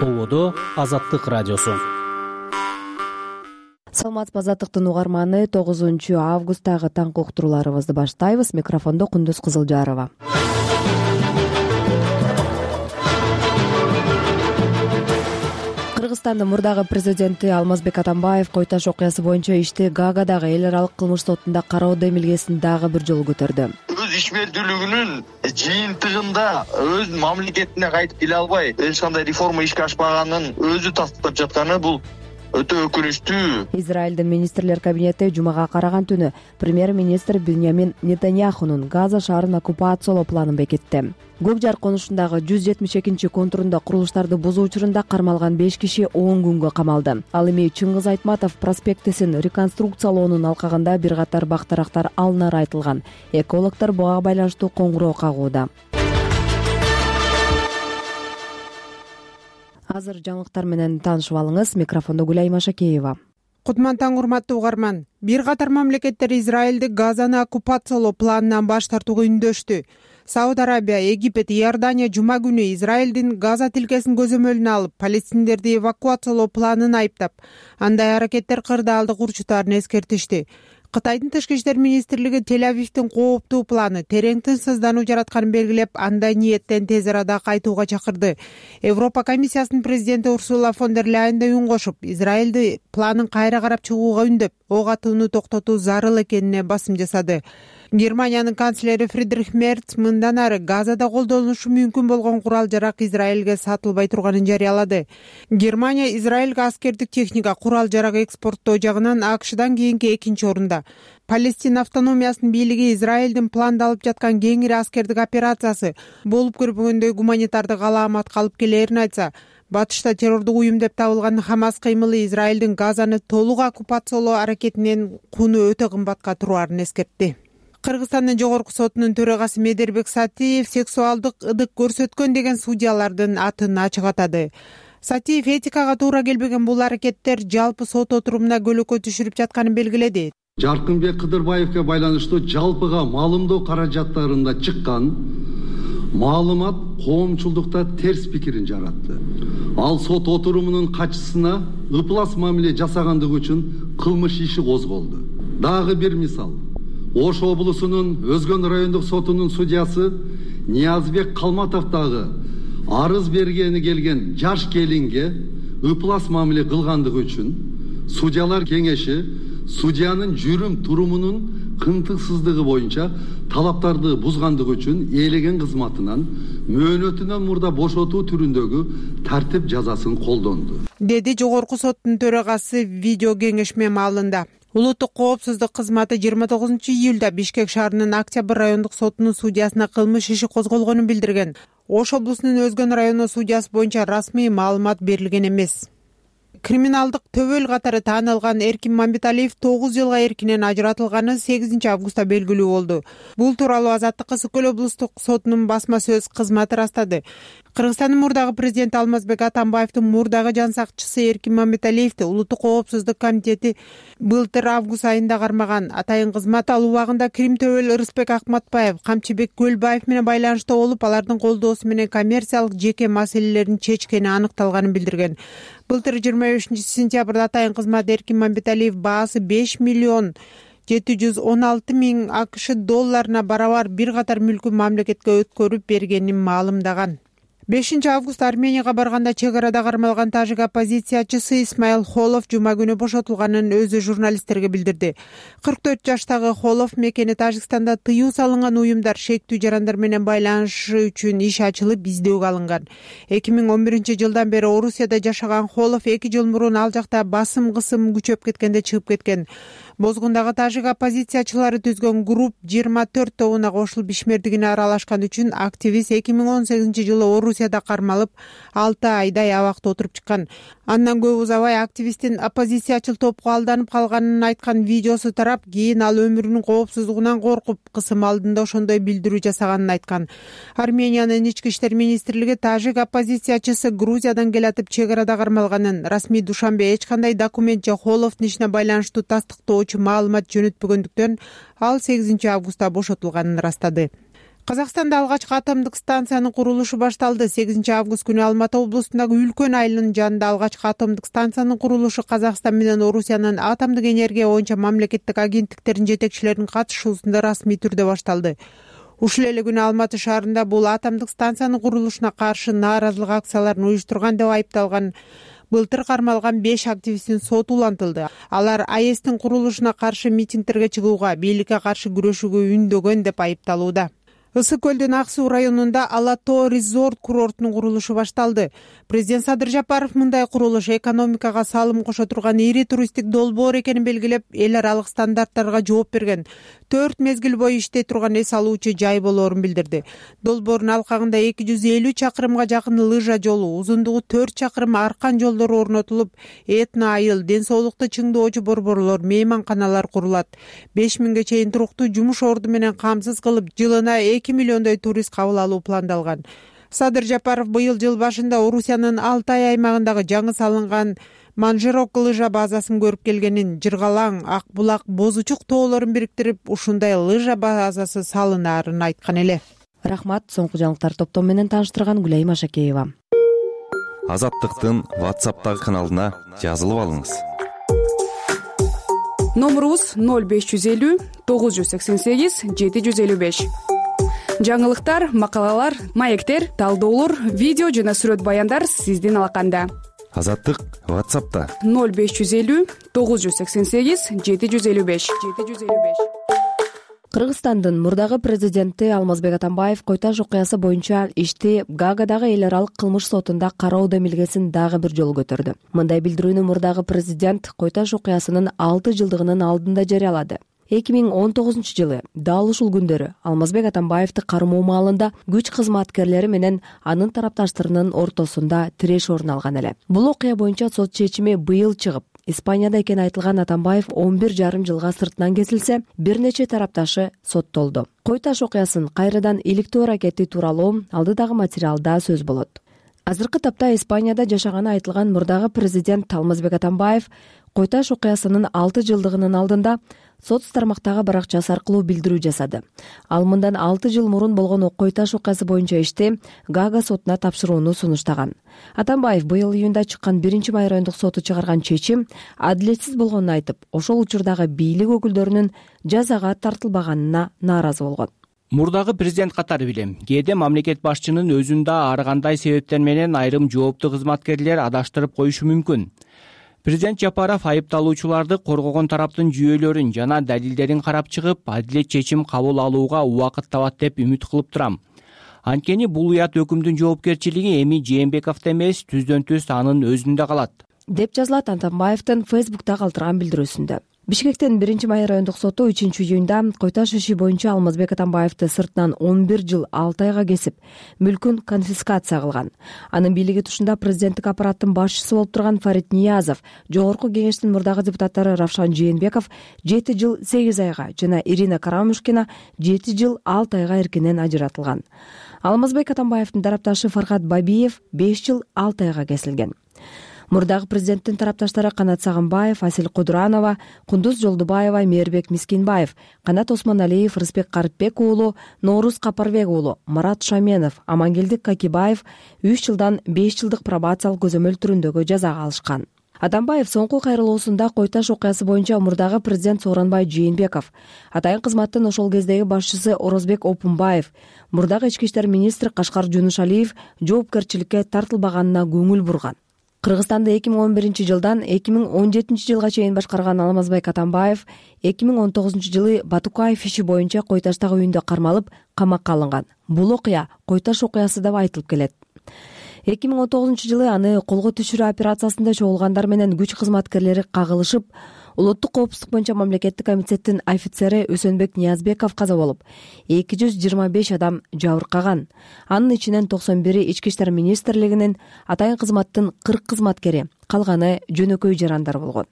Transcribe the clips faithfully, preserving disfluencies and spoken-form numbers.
Ободо Азаттык радиосу. Саламатсызбы, Азаттыктын угарманы. тогузунчу августтагы таңкы уктурууларыбызды баштайбыз. Микрофондо Кундуз Кызылжарова. Кыргызстандын мурдагы президенти Алмазбек Атамбаев кой таш окуясы боюнча ишти Гаагадагы эл аралык кылмыш сотунда кароо демилгесин дагы бир жолу көтөрдү. Өз ишмердүүлүгүнүн жыйынтыгында өз мамлекетине кайтып келе албай, эч кандай реформа ишке ашпаганын өзү тастыктап жатканы бул өтө өкүнүчтүү. Израилдин министрлер кабинети жумага караган түнү премьер-министр Биньямин Нетаньяхунун Газа шаарын оккупациялоо планын бекитти. Көк жар конушундагы жүз жетимиш экинчи контурунда курулуштарды бузуу учурунда кармалган беш киши он күнгө камалды. Ал эми Чыңгыз Айтматов проспектисин реконструкциялоонун алкагында бир катар бактарактар алынары айтылган. Экологдор буга байланыштуу коңгуроо кагууда. Азыр жаңылыктар менен таанышып алыңыз. Микрофондо Гүлай Машакеева. Кутман таң, урматтуу угарман. Бир катар мамлекеттер Израилди Газаны оккупациялоо планынан баш тартууга үндөштү. Сауд Арабия, Египет, Иордания жума күнү Израилдин Газа тилкесин көзөмөлүнө алып, палестиндерди эвакуациялоо планын айыптап, андай аракеттер кырдаалдык урчутарын эскертишти. Кытайдын тышкы иштер министрлиги Тель-Авивдин кооптуу планы терең тынчсыздануу жаратканын белгилеп, андай ниеттен тез арада кайтууга чакырды. Европа комиссиясынын президенти Урсула фон дер Ляйен үн кошуп, Израилди планын кайра карап чыгууга үндөп, ок атууну токтотуу зарыл экенине басым жасады. Германиянын канцлери Фридрих Мерц мындан ары Газада колдонулушу мүмкүн болгон курал-жарак Израилге сатылбай турганын жарыялады. Германия Израилге аскердик техника, курал-жарак экспорттоо жагынан АКШдан кийинки экинчи орунда. Палестина автономиясынын бийлиги Израилдин пландалып жаткан кеңири аскердик операциясы болуп көрбөгөндөй гуманитардык алааматка алып келээрин айтса, батышта террордук уюм деп табылган Хамас кыймылы Израилдин Газаны толук оккупациялоо аракетинен куну өтө кымбатка тураарын эскертти. Кыргызстандын жогорку сотунун төрагасы Медербек Сатиев сексуалдык ыдык көрсөткөн деген судьялардын атын ачык атады. Сатиев этикага туура келбеген бул аракеттер жалпы сот отурумуна көлөкө түшүрүп жатканын белгиледи. Жаркынбек Кыдырбаевге байланыштуу жалпыга маалымдоо каражаттарында чыккан маалымат коомчулдукта терс пикирин жаратты. Ал сот отурумунун катчысына ыплас мамиле жасагандыгы үчүн кылмыш иши козголду. Дагы бир мисал. Ош облусунун Өзгөн райондук сотунун судьясы Ниязбек Калматовдагы арыз бергени келген жаш келинге ыплас мамиле кылгандыгы үчүн судьялар кеңеши судьянын жүрүм турумунун кынтыксыздыгы боюнча талаптарды бузгандыгы үчүн ээлеген кызматынан мөөнөтүнөн мурда бошотуу түрүндөгү тартип жазасын колдонду, деди жогорку соттун төрагасы видео кеңешме маалында. Улуттук коопсуздук кызматы жыйырма тогузунчу июлда Бишкек шаарынын Октябрь райондук сотунун судьясына кылмыш иши козголгонун билдирген. Ош облусунун Өзгөн району судьясы боюнча расмий маалымат берилген эмес. Криминалдык төбөл катары таанылган Эркин Мамбеталиев тогуз жылга эркинен ажыратылганы сегизинчи августта белгилүү болду. Бул тууралуу Азаттыкка Ысык Көл облустук сотунун басма сөз кызматы растады. Кыргызстандын мурдагы президенти Алмазбек Атамбаевдин мурдагы жан сакчысы Эркин Мамбеталиевди Улуттук коопсуздук комитети былтыр август айында кармаган. Атайын кызмат ал убагында Крим төбөл Ырысбек Акматбаев, Камчыбек Көлбаев менен байланышта болуп, алардын колдоосу менен коммерциялык жеке маселелерин чечкени аныкталганын билдирген. Былтыр жыйырма бешинчи сентябрда атайын кызмат Эркин Мамбеталиев баасы беш миллион жети жүз он алты миң АКШ долларына барабар бир катар мүлкүн мамлекетке өткөрүп бергенин маалымдаган. бешинчи август Арменияга барганда чек арада кармалган тажик оппозициячысы Исмаил Холов жума күнү бошотулганын өзү журналисттерге билдирди. кырк төрт жаштагы Холов мекени Тажикстанда тыюу салынган уюмдар шектүү жарандар менен байланышы үчүн иш ачылып издөөгө алынган. эки миң он биринчи жылдан бери Орусияда жашаган Холов эки жыл мурун ал жакта басым кысым күчөп кеткенде чыгып кеткен. Бозгундагы тажик оппозициячылары түзгөн групп жыйырма төрт тобуна кошулуп ишмердигине аралашкан үчүн активист эки миң он сегизинчи жылы Орусияда кармалып, алты айдай абакта отуруп чыккан. Андан көп узабай активисттин оппозициячыл топко алданып калганын айткан видеосу тарап, кийин ал өмүрүнүн коопсуздугунан коркуп, кысым алдында ошондой билдирүү жасаганын айткан. Армениянын ички иштер министрлиги тажик оппозициячысы Грузиядан келатып чек арада кармалганын, расмий Душанбе эч кандай документ же Холовдун ишине байланыштуу тастыктоочу маалымат жөнөтпөгөндүктөн ал сегизинчи августта бошотулганын ырастады. Казакстанда алгачкы атомдук станциянын курулушу башталды. сегизинчи август күнү Алматы облусундагы Үлкөн айылынын жанында алгачкы атомдук станциянын курулушу Казакстан менен Орусиянын атомдук энергия боюнча мамлекеттик агенттиктеринин жетекчилеринин катышуусунда расмий түрдө башталды. Ушул эле күнү Алматы шаарында бул атомдук станциянын курулушуна каршы нааразылык акцияларын уюштурган деп айыпталган былтыр кармалган беш активисттин соту улантылды. Алар АЭСтин курулушуна каршы митингтерге чыгууга, бийликке каршы күрөшүүгө үндөгөн деп айыпталууда. Ысык көлдүн Ак суу районунда Ала Тоо резорт курортунун курулушу башталды. Президент Садыр Жапаров мындай курулуш экономикага салым кошо турган ири туристтик долбоор экенин белгилеп, эл аралык стандарттарга жооп берген, төрт мезгил бою иштей турган эс алуучу жай болоорун билдирди. Долбоордун алкагында эки жүз элүү чакырымга жакын лыжа жолу, узундугу төрт чакырым аркан жолдору орнотулуп, этно айыл, ден соолукту чыңдоочу борборлор, мейманканалар курулат. беш миңге чейин туруктуу жумуш орду менен камсыз кылып, жылына эки миллиондой турист кабыл алуу пландалган. Садыр Жапаров быйыл жыл башында Орусиянын Алтай аймагындагы жаңы салынган Манжерок лыжа базасын көрүп келгенин, Жыргалаң, Ак булак, Бозучук тоолорун бириктирип, ушундай лыжа базасы салынаарын айткан эле. Рахмат, соңку жаңылыктар топтом менен тааныштырган Гүлайым Ашакеева. Азаттыктын WhatsApp'тагы каналына жазылып алыңыз. Номурубуз ноль беш жүз элүү тогуз жүз сексен сегиз жети жүз элүү беш. Жаңылыктар, макалалар, маектер, талдоолор, видео жана сүрөт баяндар сиздин алаканда. Азаттык WhatsApp'та ноль беш жүз элүү тогуз жүз сексен сегиз жети жүз элүү беш. Кыргызстандын мурдагы президенти Алмазбек Атамбаев Койташ окуясы боюнча ишти Гаагадагы эл аралык кылмыш сотунда кароо демилгесин дагы бир жолу көтөрдү. Мындай билдирүүнү мурдагы президент Койташ окуясынын алты жылдыгынын алдында жарыялады. эки миң он тогузунчу жылы дал ушул күндөрү Алмазбек Атамбаевди кармоо маалында күч кызматкерлери менен анын тарапташтарынын ортосунда тиреш орун алган эле. Бул окуя боюнча сот чечими быйыл чыгып, Испанияда экени айтылган Атамбаев он бир жарым жылга сыртынан кесилсе, бир нече тарапташы соттолду. Койташ окуясын кайрадан иликтөө аракети тууралуу алдыдагы материалда сөз болот. Азыркы тапта Испанияда жашаганы айтылган мурдагы президент Алмазбек Атамбаев Койташ окуясынын алты жылдыгынын алдында соц тармактагы баракчасы аркылуу билдирүү жасады. Ал мындан алты жыл мурун болгон Койташ окуясы боюнча ишти Гага сотуна тапшырууну сунуштаган. Атамбаев быйыл июнда чыккан биринчи май райондук соту чыгарган чечим адилетсиз болгонун айтып, ошол учурдагы бийлик өкүлдөрүнүн жазага тартылбаганына нааразы болгон. Мурдагы президент катары билем, кээде мамлекет башчынын өзүн да ар кандай себептер менен айрым жооптуу кызматкерлер адаштырып коюшу мүмкүн. Президент Жапаров айыпталуучуларды коргогон тараптын жүйөлөрүн жана далилдерин карап чыгып, адилет чечим кабыл алууга убакыт табат деп үмүт кылып турам. Анткени бул уят өкүмдүн жоопкерчилиги эми Жээнбековдо эмес, түздөн түз анын өзүндө калат, деп жазылат Атамбаевдин Фейсбукта калтырган билдирүүсүндө. Бишкектин биринчи май райондук соту үчүнчү июнда Койташ иши боюнча Алмазбек Атамбаевди сыртынан он бир жыл алты айга кесип, мүлкүн конфискация кылган. Анын бийлиги тушунда президенттик аппараттын башчысы болуп турган Фарид Ниязов, жогорку кеңештин мурдагы депутаттары Равшан Жээнбеков жети жыл сегиз айга жана Ирина Карамушкина жети жыл алты айга эркинен ажыратылган. Алмазбек Атамбаевдин тарапташы Фархат Бабиев беш жыл алты айга кесилген. Мурдагы президенттин тарапташтары Канат Сагынбаев, Асил Кудуранова, Кундуз Жолдубаева, Мээрбек Мискинбаев, Канат Осмоналиев, Рыспек Карыпбек уулу, Ноорус Капарбек уулу, Марат Шаменов, Амангелдик Какибаев үч жылдан беш жылдык пробациялык көзөмөл түрүндөгү жазага алышкан. Атамбаев соңку кайрылуусунда Койташ окуясы боюнча мурдагы президент Сооронбай Жээнбеков, атайын кызматтын ошол кездеги башчысы Орозбек Опунбаев, мурдагы ички иштер министри Кашкар Жунушалиев жоопкерчиликке тартылбаганына көңүл бурган. Кыргызстанды эки миң он биринчи жылдан эки миң он жетинчи жылга чейин башкарган Алмазбек Атамбаев эки миң он тогузунчу жылы Батукаев иши боюнча Койташтагы үйүндө кармалып, камакка алынган. Бул окуя Койташ окуясы деп айтылып келет. эки миң он тогузунчу жылы аны колго түшүрүү операциясында чогулгандар менен күч кызматкерлери кагылышып, улуттук коопсуздук боюнча мамлекеттик комитеттин офицери Өсөнбек Ниязбеков каза болуп, эки жүз жыйырма беш адам жабыркаган. Анын ичинен токсон бири ички иштер министрлигинин, атайын кызматтын кырк кызматкери, калганы жөнөкөй жарандар болгон.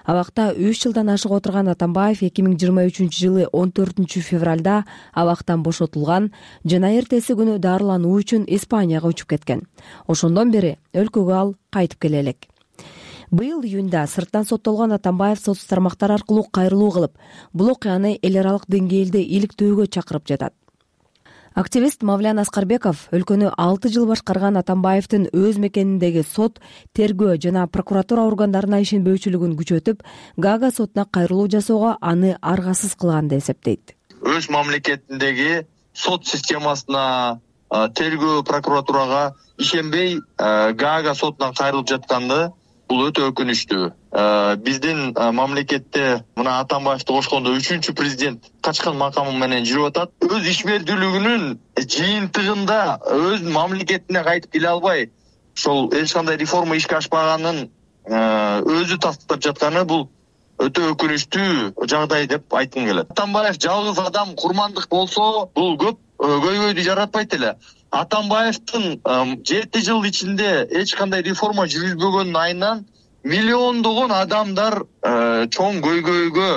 Абакта үч жылдан ашык отурган Атамбаев эки миң жыйырма үчүнчү жылы он төртүнчү февралда абактан бошотулган жана эртеси күнү дарылануу үчүн Испанияга учуп кеткен. Ошондон бери өлкөгө ал кайтып келе элек. Быйыл июнда сырттан соттолгон Атамбаев соц тармактар аркылуу кайрылуу кылып, бул окуяны эл аралык деңгээлде иликтөөгө чакырып жатат. Активист Мавлян Аскарбеков өлкөнү алты жыл башкарган Атамбаевдин өз мекениндеги сот, тергөө жана прокуратура органдарына ишенбөөчүлүгүн күчөтүп, Гага сотуна кайрылуу жасоого аны аргасыз кылган деп эсептейт. Өз мамлекетиндеги сот системасына, тергөө прокуратурага ишенбей Гага сотунан кайрылып жатканды бул өтө өкүнүчтүү. Биздин мамлекетте мына Атамбаевди кошкондо үчүнчү президент качкан макамы менен жүрүп атат. Өз ишмердүүлүгүнүн жыйынтыгында өз мамлекетине кайтып келе албай, ошол эч кандай реформа ишке ашпаганын өзү тастыктап жатканы бул өтө өкүнүчтүү жагдай деп айткым келет. Атамбаев жалгыз адам курмандык болсо, бул көп көйгөйдү жаратпайт эле. Атамбаевдин жети жыл ичинде эч кандай реформа жүргүзбөгөнүнүн айынан миллиондогон адамдар чоң көйгөйгө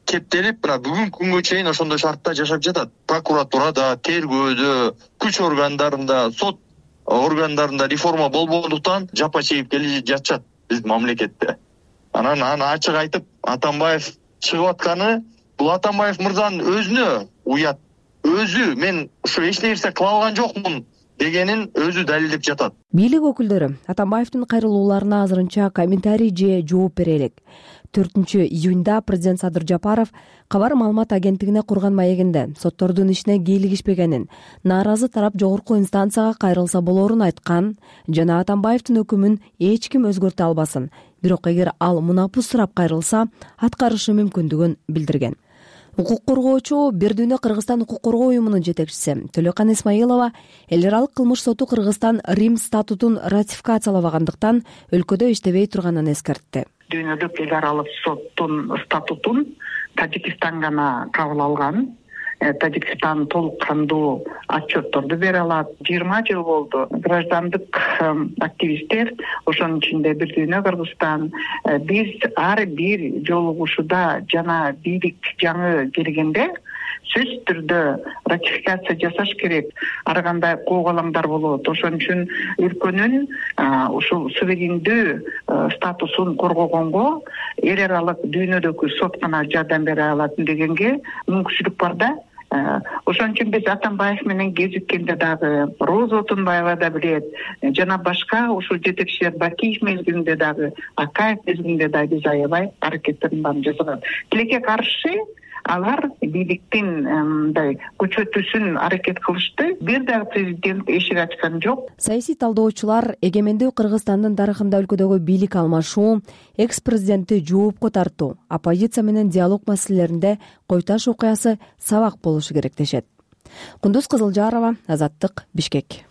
кептелип, мына бүгүнкү күнгө чейин ошондой шартта жашап жатат. Прокуратурада, тергөөдө, күч органдарында, сот органдарында реформа болбогондуктан жапа чегип келе жатышат биздин мамлекетте. Анан аны ачык айтып, Атамбаев чыгып атканы бул Атамбаев мырзанын өзүнө уят. Өзү мен ушу эч нерсе кыла алган жокмун дегенин өзү далилдеп жатат. Бийлик өкүлдөрү Атамбаевдин кайрылууларына азырынча комментарий же жооп бере элек. төртүнчү июнда президент Садыр Жапаров кабар маалымат агенттигине курган маегинде соттордун ишине кийлигишпегенин, нааразы тарап жогорку инстанцияга кайрылса болорун айткан жана Атамбаевдин өкүмүн эч ким өзгөртө албасын, бирок эгер ал мунапус сурап кайрылса, аткарышы мүмкүндүгүн билдирген. Укук коргоочу Бир дүйнө Кыргызстан укук коргоо уюмунун жетекчиси Төлөкан Исмаилова эл аралык кылмыш соту Кыргызстан Рим статутун ратификациялабагандыктан өлкөдө иштебей турганын эскертти. Дүйнөлүк эл аралык соттун статутун Тажикстан гана кабыл алган. Тажикстан толук кандуу отчетторду бере алат. жыйырма жыл болду. Граждандык активисттер, ошонун ичинде Бир дүйнө Кыргызстан, биз ар бир жолугушууда жана бийлик жаңы келгенде сөзсүз түрдө ратификация жасаш керек. Ар кандай коогалаңдар болот. Ошон үчүн өлкөнүн ушул суверендүү статусун коргогонго эл аралык дүйнөдөгү сот гана жардам бере алат дегенге мүмкүнчүлүк бар да. Ошон үчүн биз Атамбаев менен кезиккенде дагы, Роза Отунбаева да билет, жана башка ушул жетекчилер Бакиев мезгилинде дагы, Акаев мезгилинде дагы биз аябай аракеттерин баарын жасаган. Тилекке каршы алар бийликтин мындай күчөтүүсүн аракет кылышты. Бир дагы президент эшик ачкан жок. Саясий талдоочулар эгемендүү Кыргызстандын тарыхында өлкөдөгү бийлик алмашуу, экс-президентти жоопко тартуу, оппозиция менен диалог маселелеринде Койташ окуясы сабак болушу керек дешет. Кундуз Кызылжарова, Азаттык, Бишкек.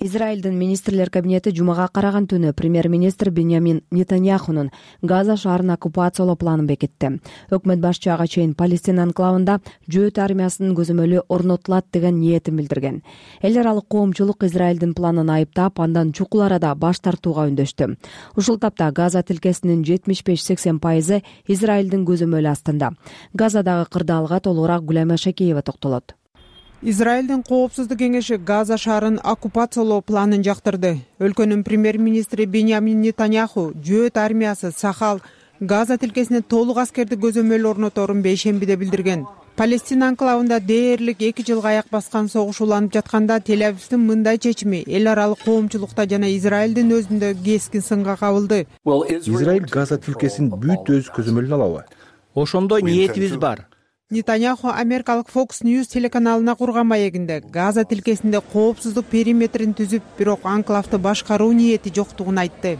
Израилдин министрлер кабинети жумага караган түнү премьер-министр Биньямин Нетаньяхунун Газа шаарын оккупациялоо планын бекитти. Өкмөт башчы ага чейин Палестина анклавында жөөт армиясынын көзөмөлү орнотулат деген ниетин билдирген. Эл аралык коомчулук Израилдин планын айыптап, андан чукул арада баш тартууга үндөштү. Ушул тапта Газа тилкесинин жетимиш беш сексен пайызы Израилдин көзөмөлү астында. Газадагы кырдаалга толугураак Гүлайма Шакеева токтолот. Израилдин коопсуздук кеңеши Газа шаарын оккупациялоо планын жактырды. Өлкөнүн премьер-министри Биньямин Нетаньяху жөөт армиясы Сахал Газа тилкесине толук аскерди көзөмөлү орноторун бейшембиде билдирген. Палестина анклавында дээрлик эки жылга аяк баскан согуш уланып жатканда Тель-Авивдин мындай чечими эл аралык коомчулукта жана Израилдин өзүндө кескин сынга кабылды. Израиль Газа тилкесин бүт өз көзөмөлүнө алабы? Ошондой ниетибиз бар. Нетаньяху америкалык Fox News телеканалына курган маегинде Газа тилкесинде коопсуздук периметрин түзүп, бирок анклавды башкаруу ниети жоктугун айтты.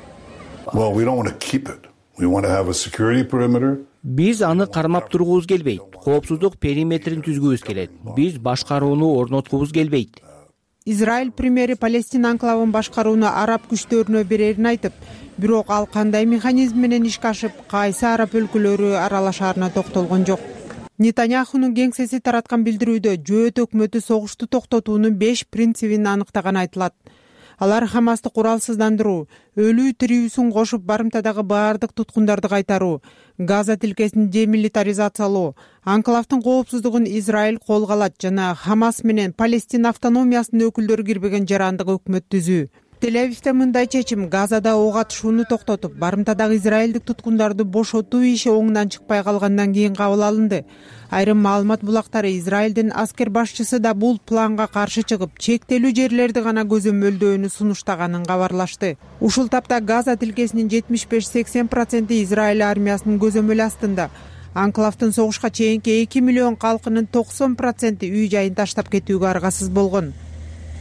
Биз аны кармап тургубуз келбейт. Коопсуздук периметрин түзгүбүз келет. Биз башкарууну орноткубуз келбейт. Израиль премьери Палестина анклавын башкарууну араб күчтөрүнө берерин айтып, бирок ал кандай механизм менен ишке ашып, кайсы араб өлкөлөрү аралашаарына токтолгон жок. Нетаньяхунун кеңсеси тараткан билдирүүдө жөөт өкмөтү согушту токтотуунун беш принцибин аныктаганы айтылат. Алар Хамасты куралсыздандыруу, өлүү тирүүсүн кошуп барымтадагы баардык туткундарды кайтаруу, Газа тилкесин демилитаризациялоо, анклавдын коопсуздугун Израиль колго алат жана Хамас менен Палестина автономиясынын өкүлдөрү кирбеген жарандык өкмөт түзүү. Тель-Авивде мындай чечим Газада ок атышууну токтотуп, барымтадагы израилдик туткундарды бошотуу иши оңунан чыкпай калгандан кийин кабыл алынды. Айрым маалымат булактары Израилдин аскер башчысы да бул планга каршы чыгып, чектелүү жерлерди гана көзөмөлдөөнү сунуштаганын кабарлашты. Ушул тапта Газа тилкесинин жетимиш беш сексен проценти Израиль армиясынын көзөмөлү астында. Анклавдын согушка чейинки эки миллион калкынын токсон проценти үй жайын таштап кетүүгө аргасыз болгон.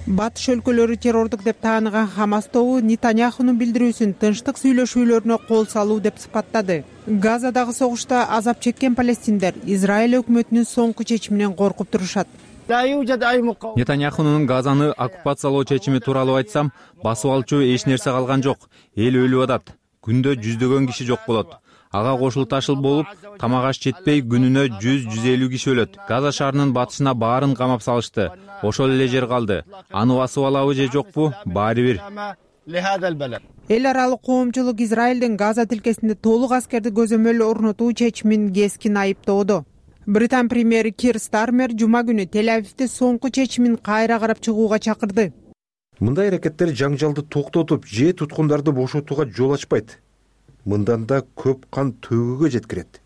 Батыш өлкөлөрү террордук деп тааныган Хамас тобу Нетаньяхунун билдирүүсүн тынчтык сүйлөшүүлөрүнө кол салуу деп сыпаттады. Газадагы согушта азап чеккен палестиндер Израиль өкмөтүнүн соңку чечиминен коркуп турушат. Нетаньяхунун Газаны оккупациялоо чечими тууралуу айтсам, басып алчу эч нерсе калган жок. Эл өлүп атат. Күндө жүздөгөн киши жок болот. Ага кошул ташыл болуп, тамак аш жетпей күнүнө жүз жүз элүү киши өлөт. Газа шаарынын батышына баарын камап салышты. Ошол эле жер калды. Аны басып алабы же жокпу? Баары бир. Эл аралык коомчулук Израилдин Газа тилкесинде толук аскерди көзөмөл орнотуу чечимин кескин айыптоодо. Британ премьери Кир Стармер жума күнү Тель-Авивде соңку чечимин кайра карап чыгууга чакырды. Мындай аракеттер жаңжалды токтотуп, же туткундарды бошотууга жол ачпайт. Мындан да көп кан төгүүгө жеткирет.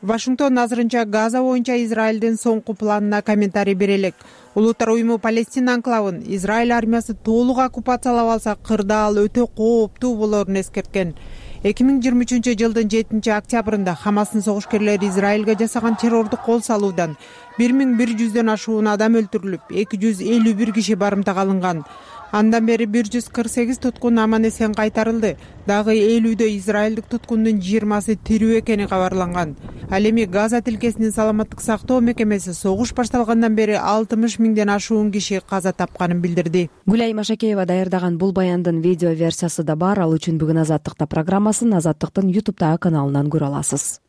Вашингтон азырынча Газа боюнча Израилдин соңку планына комментарий бере элек. Улуттар уюму Палестина анклавын Израиль армиясы толук оккупациялап алса, кырдаал өтө кооптуу болоорун эскерткен. эки миң жыйырма үчүнчү жылдын жетинчи октябрында Хамастын согушкерлери Израилге жасаган террордук кол салуудан бир миң бир жүздөн ашуун адам өлтүрүлүп, эки жүз элүү бир киши барымтага алынган. Андан бери бир жүз кырк сегиз туткун аман эсен кайтарылды. Дагы элүүдө израилдик туткундун жыйырмасы тирүү экени кабарланган. Ал эми Газа тилкесинин саламаттык сактоо мекемеси согуш башталгандан бери алтымыш миңден ашуун киши каза тапканын билдирди. Гүлай Машакеева даярдаган бул баяндын видео версиясы да бар. Ал үчүн бүгүн Азаттыкта программасын Азаттыктын ютубтагы каналынан көрө аласыз.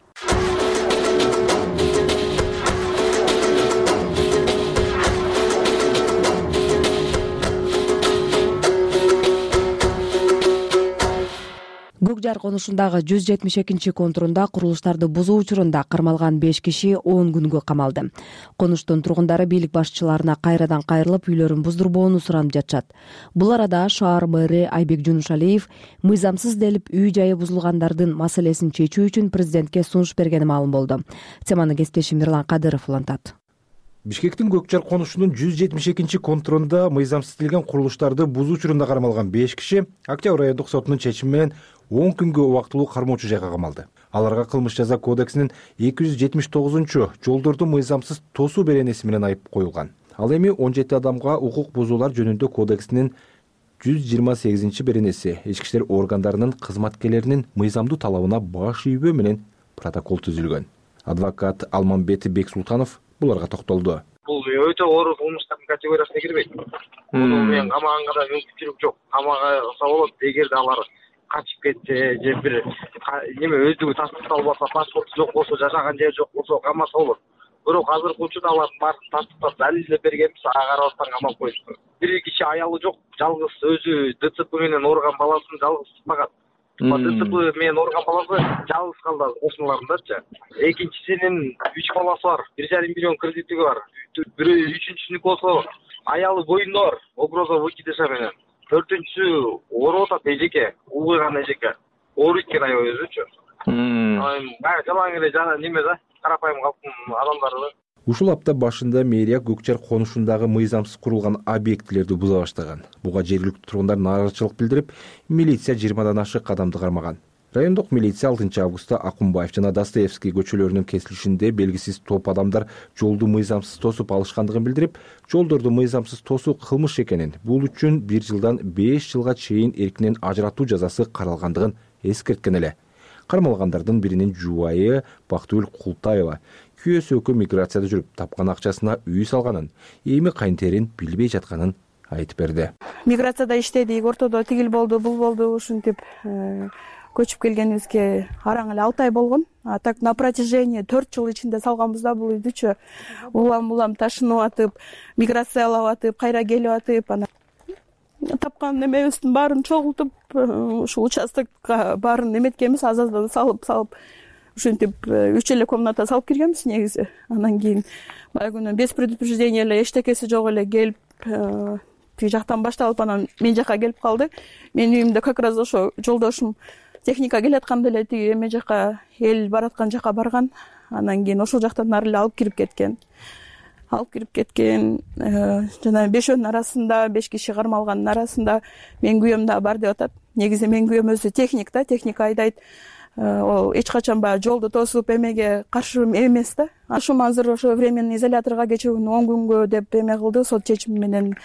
Көк жар конушундагы жүз жетимиш экинчи контурунда курулуштарды бузуу учурунда кармалган беш киши он күнгө камалды. Конуштун тургундары бийлик башчыларына кайрадан кайрылып үйлөрүн буздурбоону суранып жатышат. Бул арада шаар мэри Айбек Жунушалиев мыйзамсыз делип үй жайы бузулгандардын маселесин чечүү үчүн президентке сунуш бергени маалым болду. Теманы кесиптешим Мирлан Кадыров улантат. Бишкектин Көк жар конушунун жүз жетимиш экинчи контурунда мыйзамсыз делген курулуштарды бузуу учурунда кармалган беш киши Октябрь райондук сотунун чечими менен он күнгө убактылуу кармоочу жайга камалды. Аларга кылмыш жаза кодексинин эки жүз жетимиш тогузунчу жолдорду мыйзамсыз тосуу беренеси менен айып коюлган. Ал эми он жети адамга укук бузуулар жөнүндө кодексинин жүз жыйырма сегизинчи беренеси ички иштер органдарынын кызматкерлеринин мыйзамдуу талабына баш ийбөө менен протокол түзүлгөн. Адвокат Алмамбет Бексултанов буларга токтолду. Бул өтө оор кылмыштардын категориясына кирбейт. Муну менен камаганга да мүмкүнчүлүк жок. Камага алса болот, эгерде алар качып кетсе же бир неме өздүгү тастыкталбаса, паспорту жок болсо, жашаган жери жок болсо камаса болот. Бирок азыркы учурда алардын баарын тастыктап далилдеп бергенбиз, ага карабастан камап коюшту. Бир киши аялы жок, жалгыз өзү ДЦП менен орган баласын жалгыз тутпаган. ДЦП менен орган баласы жалгыз калды кошуналарындачы. Экинчисинин үч баласы бар, бир жарым миллион кредити бар. Бирөө үчүнчүсүнүкү болсо аялы боюнда бар, угроза выкидыша менен. Төртүнчүсү ооруп атат эжеке, улгуйган эжеке. Ооруйт экен аябай өзүчү. Баары жалаң эле жана неме да, карапайым калктын адамдары да. Ушул апта башында мэрия Көк жар конушундагы мыйзамсыз курулган объектилерди буза баштаган. Буга жергиликтүү тургундар нааразычылык билдирип, милиция жыйырмадан ашык кадамды кармаган. Райондук милиция алтынчы августта Акунбаев жана Достоевский көчөлөрүнүн кесилишинде белгисиз топ адамдар жолду мыйзамсыз тосуп алышкандыгын билдирип, жолдорду мыйзамсыз тосуу кылмыш экенин, бул үчүн бир жылдан беш жылга чейин эркинен ажыратуу жазасы каралгандыгын эскерткен эле. Кармалгандардын биринин жубайы Бактыгүл Култаева күйөөсү экөө миграцияда жүрүп, тапкан акчасына үй салганын, эми кайынтерин билбей жатканын айтып берди. Миграцияда иштедик, ортодо тигил болду, бул болду, ушинтип көчүп келгенибизге араң эле алты ай болгон. А так на протяжении төрт жыл ичинде салганбыз да бул үйдүчү. Улам улам ташынып атып, миграциялап атып, кайра келип атып, анан тапкан немебиздин баарын чогултуп, ушул участокко баарын эметкенбиз, аз-аздан салып салып ушинтип үч эле комната салып киргенбиз негизи. Анан кийин баягы күнү без предупреждения эле эчтекеси жок эле келип тиги жактан башталып анан мен жака келип калды. Менин үйүмдө как раз ошо жолдошум техника келатканда эле тиги эме жака эл бараткан жака барган. Анан кийин ошол жактан ары эле алып кирип кеткен. Алып кирип кеткен. Жана бешөөнүн арасында, беш киши кармалгандын арасында менин күйөөм да бар деп атат. Негизи менин күйөөм өзү техник да, техника айдайт. Ол эч качан баягы жолду тосуп эмеге каршы эмес да. Ушул азыр ошо временный изоляторго кечирүүнү он күнгө деп эме кылды, сот чечими менен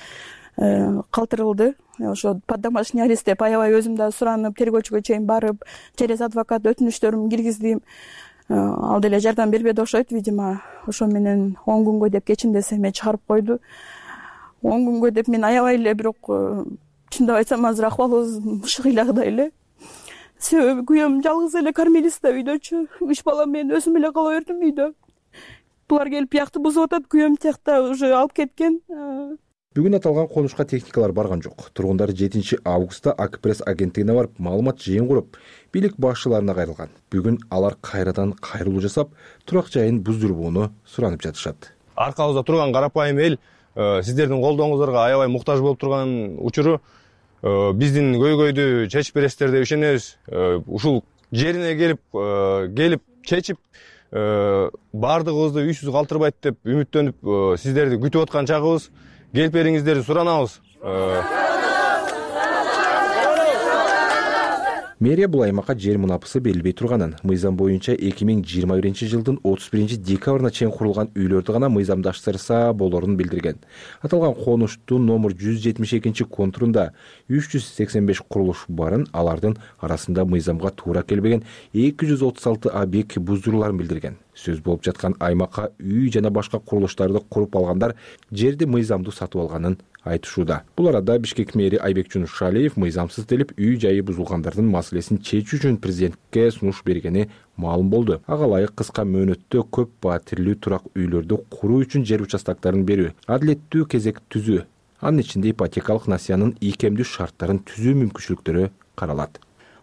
калтырылды. Ошо под домашний арест деп аябай өзүм да суранып, тергөөчүгө чейин барып, через адвокат өтүнүчтөрүмдү киргиздим. Ал деле жардам бербеди окшойт, видимо. Ошо менен он күнгө деп кечимдес эме чыгарып койду. он күнгө деп мен аябай эле, бирок чындап айтсам азыр акыбалыбыз мышыгыйлактай эле. Себеби күйөөм жалгыз эле кормилист да үйдөчү. Үч балам мен өзүм эле кала бердим үйдө. Булар келип биякты бузуп атат, күйөөм тиякта уже алып кеткен. Бүгүн аталган конушка техникалар барган жок. Тургундар жетинчи августта Акпресс агенттигине барып, маалымат жыйын куруп, бийлик башчыларына кайрылган. Бүгүн алар кайрадан кайрылуу жасап, турак жайын буздурбоону суранып жатышат. Аркабызда турган карапайым эл сиздердин колдооңуздорго аябай муктаж болуп турган учуру биздин көйгөйдү чечип бересиздер деп ишенебиз. Ушул жерине келип келип чечип баардыгыбызды үйсүз калтырбайт деп үмүттөнүп сиздерди күтүп аткан чагыбыз. Келип бериңиздерди суранабыз. Мэрия бул аймакка жер мунапысы берилбей турганын, мыйзам боюнча эки миң жыйырма биринчи жылдын отуз биринчи декабрына чейин курулган үйлөрдү гана мыйзамдаштырса болорун билдирген. Аталган конуштун номер жүз жетимиш экинчи контурунда үч жүз сексен беш курулуш барын, алардын арасында мыйзамга туура келбеген эки жүз отуз алты объект буздуруларын билдирген. Сөз болуп жаткан аймакка үй жана башка курулуштарды куруп алгандар жерди мыйзамдуу сатып алганын айтышууда. Бул арада Бишкек мэри Айбек Жунушалиев мыйзамсыз делип үй жайы бузулгандардын маселесин чечүү үчүн президентке сунуш бергени маалым болду. Ага ылайык кыска мөөнөттө көп батирлүү турак үйлөрдү куруу үчүн жер участактарын берүү, адилеттүү кезек түзүү, анын ичинде ипотекалык насыянын ийкемдүү шарттарын түзүү мүмкүнчүлүктөрү каралат.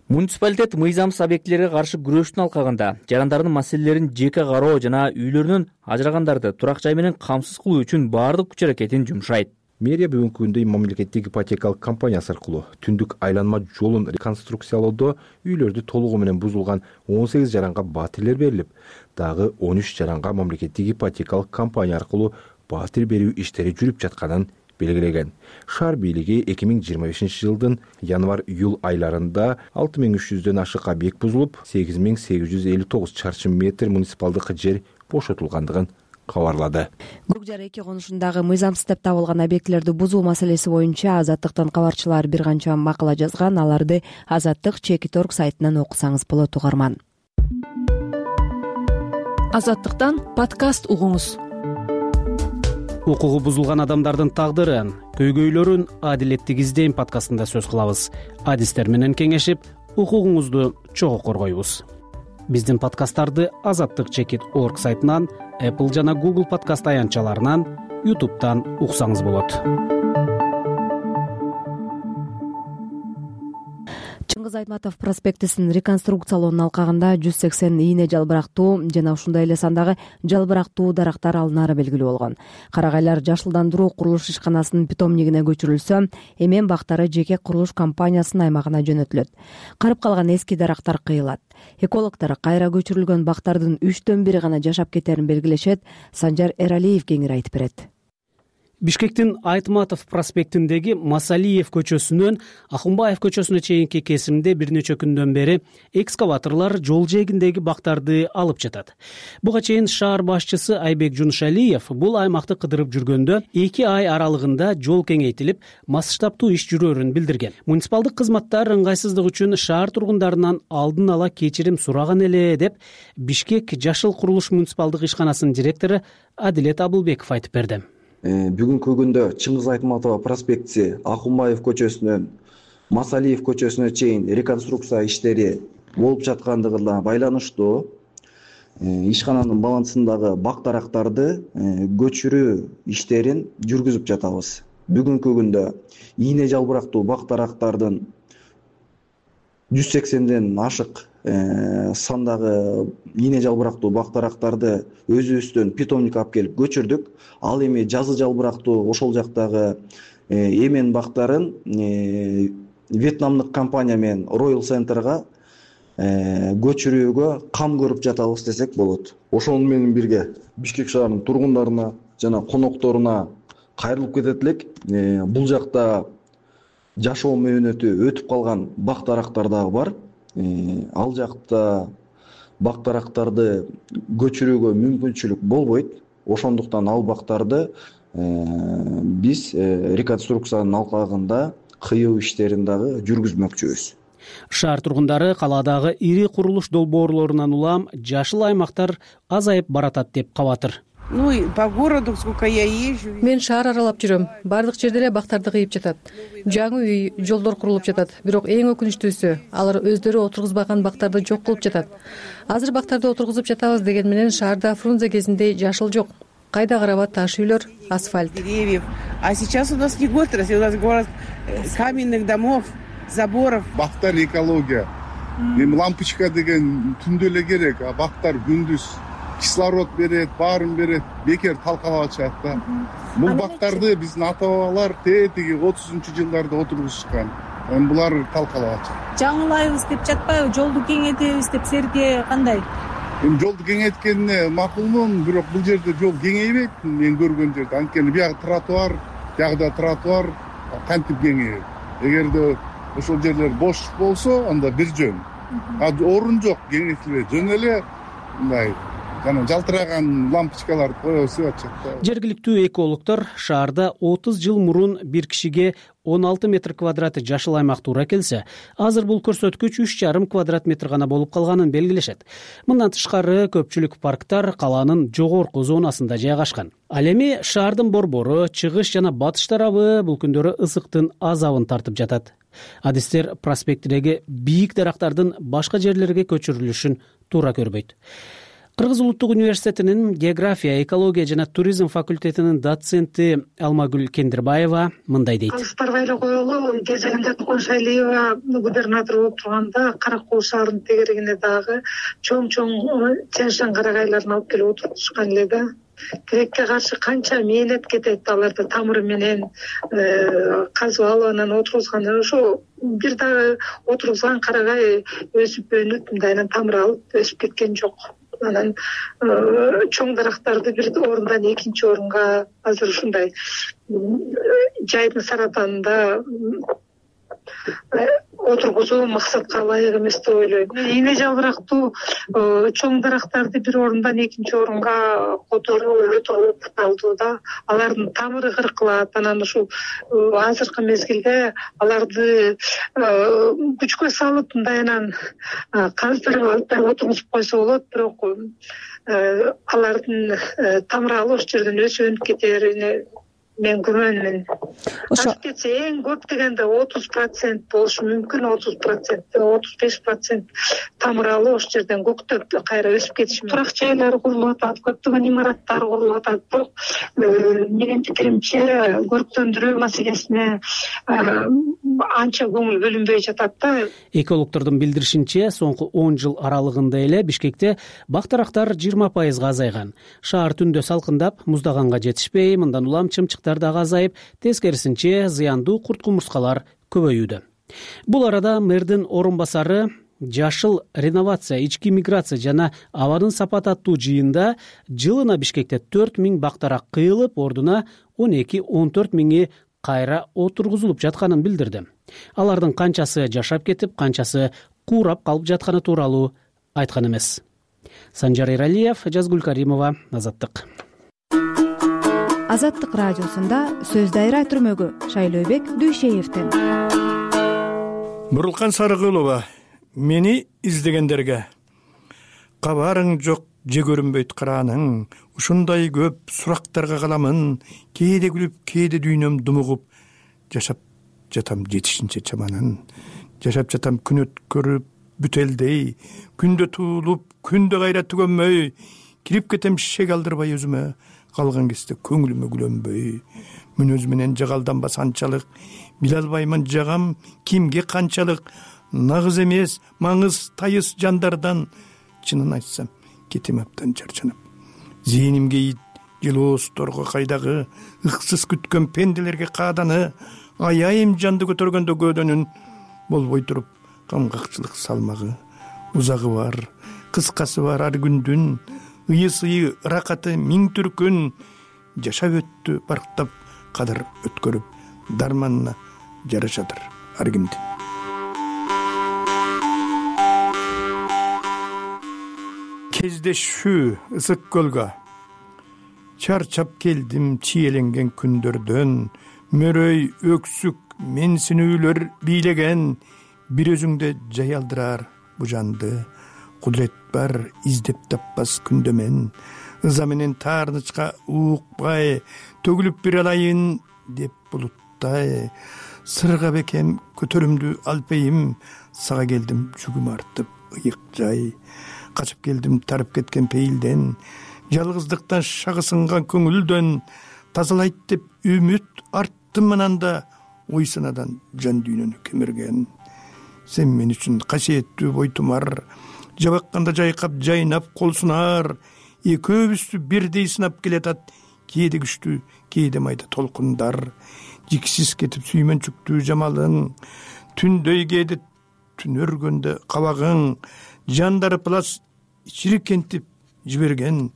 Муниципалитет мыйзамсыз объектилерге каршы күрөштүн алкагында жарандардын маселелерин жеке кароо жана үйлөрүнөн ажырагандарды турак жай менен камсыз кылуу үчүн баардык күч аракетин жумшайт. Мэрия бүгүнкү күндө мамлекеттик ипотекалык компаниясы аркылуу түндүк айланма жолун реконструкциялоодо үйлөрдү толугу менен бузулган он сегиз жаранга батирлер берилип, дагы он үч жаранга мамлекеттик ипотекалык компания аркылуу батир берүү иштери жүрүп жатканын белгилеген. Шаар бийлиги эки миң жыйырма бешинчи жылдын январь-июль айларында алты миң үч жүздөн ашык объект бузулуп, сегиз миң сегиз жүз элүү тогуз чарчы метр муниципалдык жер бошотулгандыгын кабарлады. Көк жар эки конушундагы мыйзамсыз деп табылган объектилерди бузуу маселеси боюнча Азаттыктын кабарчылары бир канча макала жазган. Аларды Азаттык чекит точка орг сайтынан окусаңыз болот, угарман. Азаттыктан подкаст угуңуз. Укугу бузулган адамдардын тагдырын, көйгөйлөрүн адилеттик издейм подкастында сөз кылабыз. Адистер менен кеңешип, укугуңузду чогуу коргойбуз. Биздин подкасттарды Азаттык чекит точка орг сайтынан, Apple жана Google подкаст аянтчаларынан, YouTube'дан уксаңыз болот. Чыңгыз Айтматов проспектисин реконструкциялоонун алкагында жүз сексен ийне жалбырактуу жана ушундай эле сандагы жалбырактуу дарактар алынары белгилүү болгон. Карагайлар жашылдандыруу курулуш ишканасынын питомнигине көчүрүлсө, эмен бактары жеке курулуш компаниясынын аймагына жөнөтүлөт. Карып калган эски дарактар кыйылат. Экологдор кайра көчүрүлгөн бактардын үчтөн бири гана жашап кетерин белгилешет. Санжар Эралиев кеңири айтып берет. Бишкектин Айтматов проспектиндеги Масалиев көчөсүнөн Ахунбаев көчөсүнө чейинки кесимде бир нече күндөн бери экскаваторлор жол жээгиндеги бактарды алып жатат. Буга чейин шаар башчысы Айбек Жунушалиев бул аймакты кыдырып жүргөндө эки ай аралыгында жол кеңейтилип, масштабтуу иш жүрөрүн билдирген. Муниципалдык кызматтар ыңгайсыздык үчүн шаар тургундарынан алдын ала кечирим сураган эле деп Бишкек Жашыл курулуш муниципалдык ишканасынын директору Адилет Абылбеков айтып берди. Бүгүнкү күндө Чыңгыз Айтматов проспектиси Ахунбаев көчөсүнөн Масалиев көчөсүнө чейин реконструкция иштери болуп жаткандыгына байланыштуу ишкананын балансындагы бак дарактарды көчүрүү иштерин жүргүзүп жатабыз. Бүгүнкү күндө ийне жалбырактуу бак дарактардын жүз сексенден ашык сандагы ийне жалбырактуу бак дарактарды өзүбүздөн питомникке алып келип көчүрдүк. Ал эми жазы жалбырактуу ошол жактагы эмен бактарын вьетнамдык компания менен Royal Center'га көчүрүүгө кам көрүп жатабыз десек болот. Ошону менен бирге Бишкек шаарынын тургундарына жана конокторуна кайрылып кетет элек. Бул жакта жашоо мөөнөтү өтүп калган бак-дарактар дагы бар. Ал жакта бак-дарактарды көчүрүүгө мүмкүнчүлүк болбойт. Ошондуктан ал бактарды биз реконструкциянын алкагында кыюу иштерин дагы жүргүзмөкчүбүз. Шаар тургундары калаадагы ири курулуш долбоорлорунан улам жашыл аймактар азайып баратат деп кабатыр. Ну и по городу сколько я езжу. Мен шаар аралап жүрөм. Бардык жерде эле бактарды кыйып жатат. Жаңы үй, жолдор курулуп жатат. Бирок эң өкүнүчтүүсү, алар өздөрү отургузбаган бактарды жок кылып жатат. Азыр бактарды отургузуп жатабыз деген менен шаарда Фрунзе кезиндей жашыл жок. Кайда караба таш үйлөр, асфальт. Деревьев. А сейчас у нас не город, у нас город каменных домов, заборов. Бактар экология. Эми лампочка деген түндө эле керек, а бактар күндүз кислород берет, баарын берет, бекер талкалап атышат да. Бул бактарды биздин ата-бабалар тетиги отузунчу жылдарда отургузушкан. Эми булар талкалап атышат. Жаңылайбыз деп жатпайбы, жолду кеңейтебиз деп силерге кандай? Эми жолду кеңейткенине макулмун, бирок бул жерде жол кеңейбейт, мен көргөн жерде. Анткени бияк тротуар, биягда тротуар кантип кеңейет. Эгерде ошол жерлер бош болсо, анда бир жөн. А орун жок, кеңейтилбейт. Жөн эле мындай жана жалтыраган лампочкаларды коюп атышат да. Жергиликтүү экологдор шаарда отуз жыл мурун бир кишиге он алты метр квадрат жашыл аймак туура келсе, азыр бул көрсөткүч үч жарым квадрат метр гана болуп калганын белгилешет. Мындан тышкары көпчүлүк парктар калаанын жогорку зонасында жайгашкан. Ал эми шаардын борбору, чыгыш жана батыш тарабы бул күндөрү ысыктын азабын тартып жатат. Адистер проспекттеги бийик дарактардын башка жерлерге көчүрүлүшүн туура көрбөйт. Кыргыз улуттук университетинин география, экология жана туризм факультетинин доценти Алмагүл Кендирбаева мындай дейт. Алыстарга эле коелу, кезегинде Тукун Шайлиева губернатор болуп турганда Кара Куу шаарынын тегерегине дагы чоң-чоң Тянь-Шань карагайларын алып келип отургузушкан эле да. Тилекке каршы канча мээнет кетет, аларды тамыры менен казып алып анан отургузган. Ошо бир дагы отургузган карагай өсүп өнүп, мындайынан тамыр алып өсүп кеткен жок. Анан чоң дарактарды бир орундан экинчи орунга азыр ушундай жайдын саратанында отургузуу максатка ылайык эмес деп ойлойм. Ийне жалбырактуу чоң дарактарды бир орундан экинчи орунга которуу өтө каталдуу да. Алардын тамыры кыркылат. Анан ушул азыркы мезгилде аларды күчкө салып мындайынан каздырып отургузуп койсо болот, бирок алардын тамыры ал ошол жерден өсүп өнүп кетерине мен күмөнмүн. Ашып кетсе эң көп дегенде отуз процент болушу мүмкүн, отуз процент, отуз беш процент тамыр алып ошол жерден көктөп кайра өсүп кетиши мүмкүн. Турак жайлар курулуп атат, көптөгөн имараттар курулуп атат. Бирок менин пикиримче көрктөндүрүү маселесине анча көңүл бөлүнбөй жатат да. Экологдордун билдиришинче, соңку он жыл аралыгында эле Бишкекте бак-дарактар жыйырма пайызга азайган. Шаар түндө салкындап, муздаганга жетишпей, мындан улам чымчыктар дагы азайып, тескерисинче зыяндуу курт-кумурскалар көбөйүүдө. Бул арада мэрдин орун басары жашыл реновация, ички миграция жана абадын сапаты аттуу жыйында жылына Бишкекте төрт миң бак-дарак кыйылып, ордуна он эки он төрт миңи кайра отургузулуп жатканын билдирди. Алардын канчасы жашап кетип, канчасы куурап калып жатканы тууралуу айткан эмес. Санжар Эралиев, Жазгүл Каримова, Азаттык. Азаттык радиосунда сөз дайра түрмөгү Шайлообек Дүйшеевден. Бурулкан Сарыгулова, мени издегендерге кабарың жок, же көрүнбөйт карааның, ушундай көп сурактарга каламын, кээде күлүп, кээде дүйнөм думугуп, жашап жатам жетишинче чаманын, жашап жатам күн өткөрүп бүтелдей, күндө туулуп, күндө кайра түгөнмөй, кирип кетем шек алдырбай өзүмө, калган кезде көңүлүмө күлөнбөй, мүнөз менен жагалданбас анчалык, биле албаймын жагам кимге канчалык, нагыз эмес, маңыз тайыз жандардан, чынын айтсам, кетем абдан жарчанып. Зээнимге жылоосторго кайдагы ыксыз күткөн пенделерге кааданы аяйым жанды көтөргөндө көөдөнүн болбой туруп камгакчылык салмагы узагы бар, кыскасы бар ар күндүн ыйы-сыйы ыракаты миң түркүн жашап өттү барктап кадыр өткөрүп дарманына жарашадыр ар кимди. Кездешүү ысык көлгө чарчап келдим чиеленген күндөрдөн, мөрөй өксүк менсинүүлөр бийлеген, бир өзүңдө жаялдырар бу жанды, кудурет бар издеп таппас күндө мен, ыза менен таарнычка уукпай төгүлүп бир алайын деп булуттай, сырга бекем көтөрүмдү алпейим, сага келдим жүгүм артып ыйык жай, качып келдим тарып кеткен пейилден, жалгыздыктан шагы сынган көңүлдөн, тазалайт деп үмүт арттым ананда, ой санадан жан дүйнөнү кемирген. Сен мен үчүн касиеттүү бойтумар, жабакканда жайкап жайнап кол сунар, экөөбүздү бирдей сынап келатат, кээде күчтүү кээде майда толкундар, жиксиз кетип сүймөнчүктүү жамалың, түндөй кээде түн өргөндө кабагың, жандары плас чирикентип жиберген,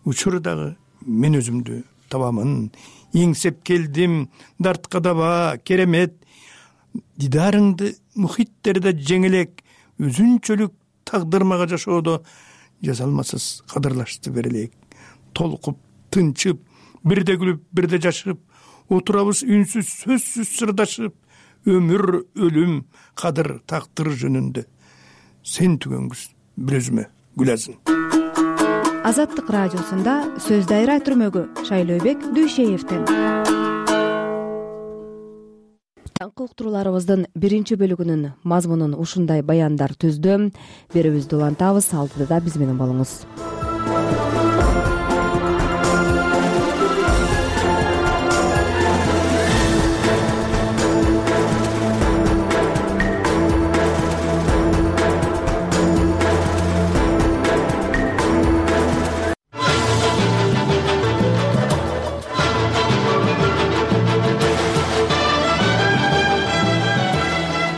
учурдагы мен өзүмдү табамын, эңсеп келдим дартка даба керемет, дидарыңды мухиттерде жеңелек, өзүнчөлүк тагдырмага жашоодо жазалмасыз кадырлашты берелек, толкуп тынчып бирде күлүп бирде жашып, отурабыз үнсүз сөзсүз сырдашып, өмүр өлүм кадыр тактыр жөнүндө, сен түгөнгүз бир өзүмө гүлазын. Азаттык радиосунда сөз дайра түрмөгү Шайлообек Дүйшеевден. Таңкы уктурууларыбыздын биринчи бөлүгүнүн мазмунун ушундай баяндар түздү. Берүүбүздү улантабыз, алдыда биз менен болуңуз.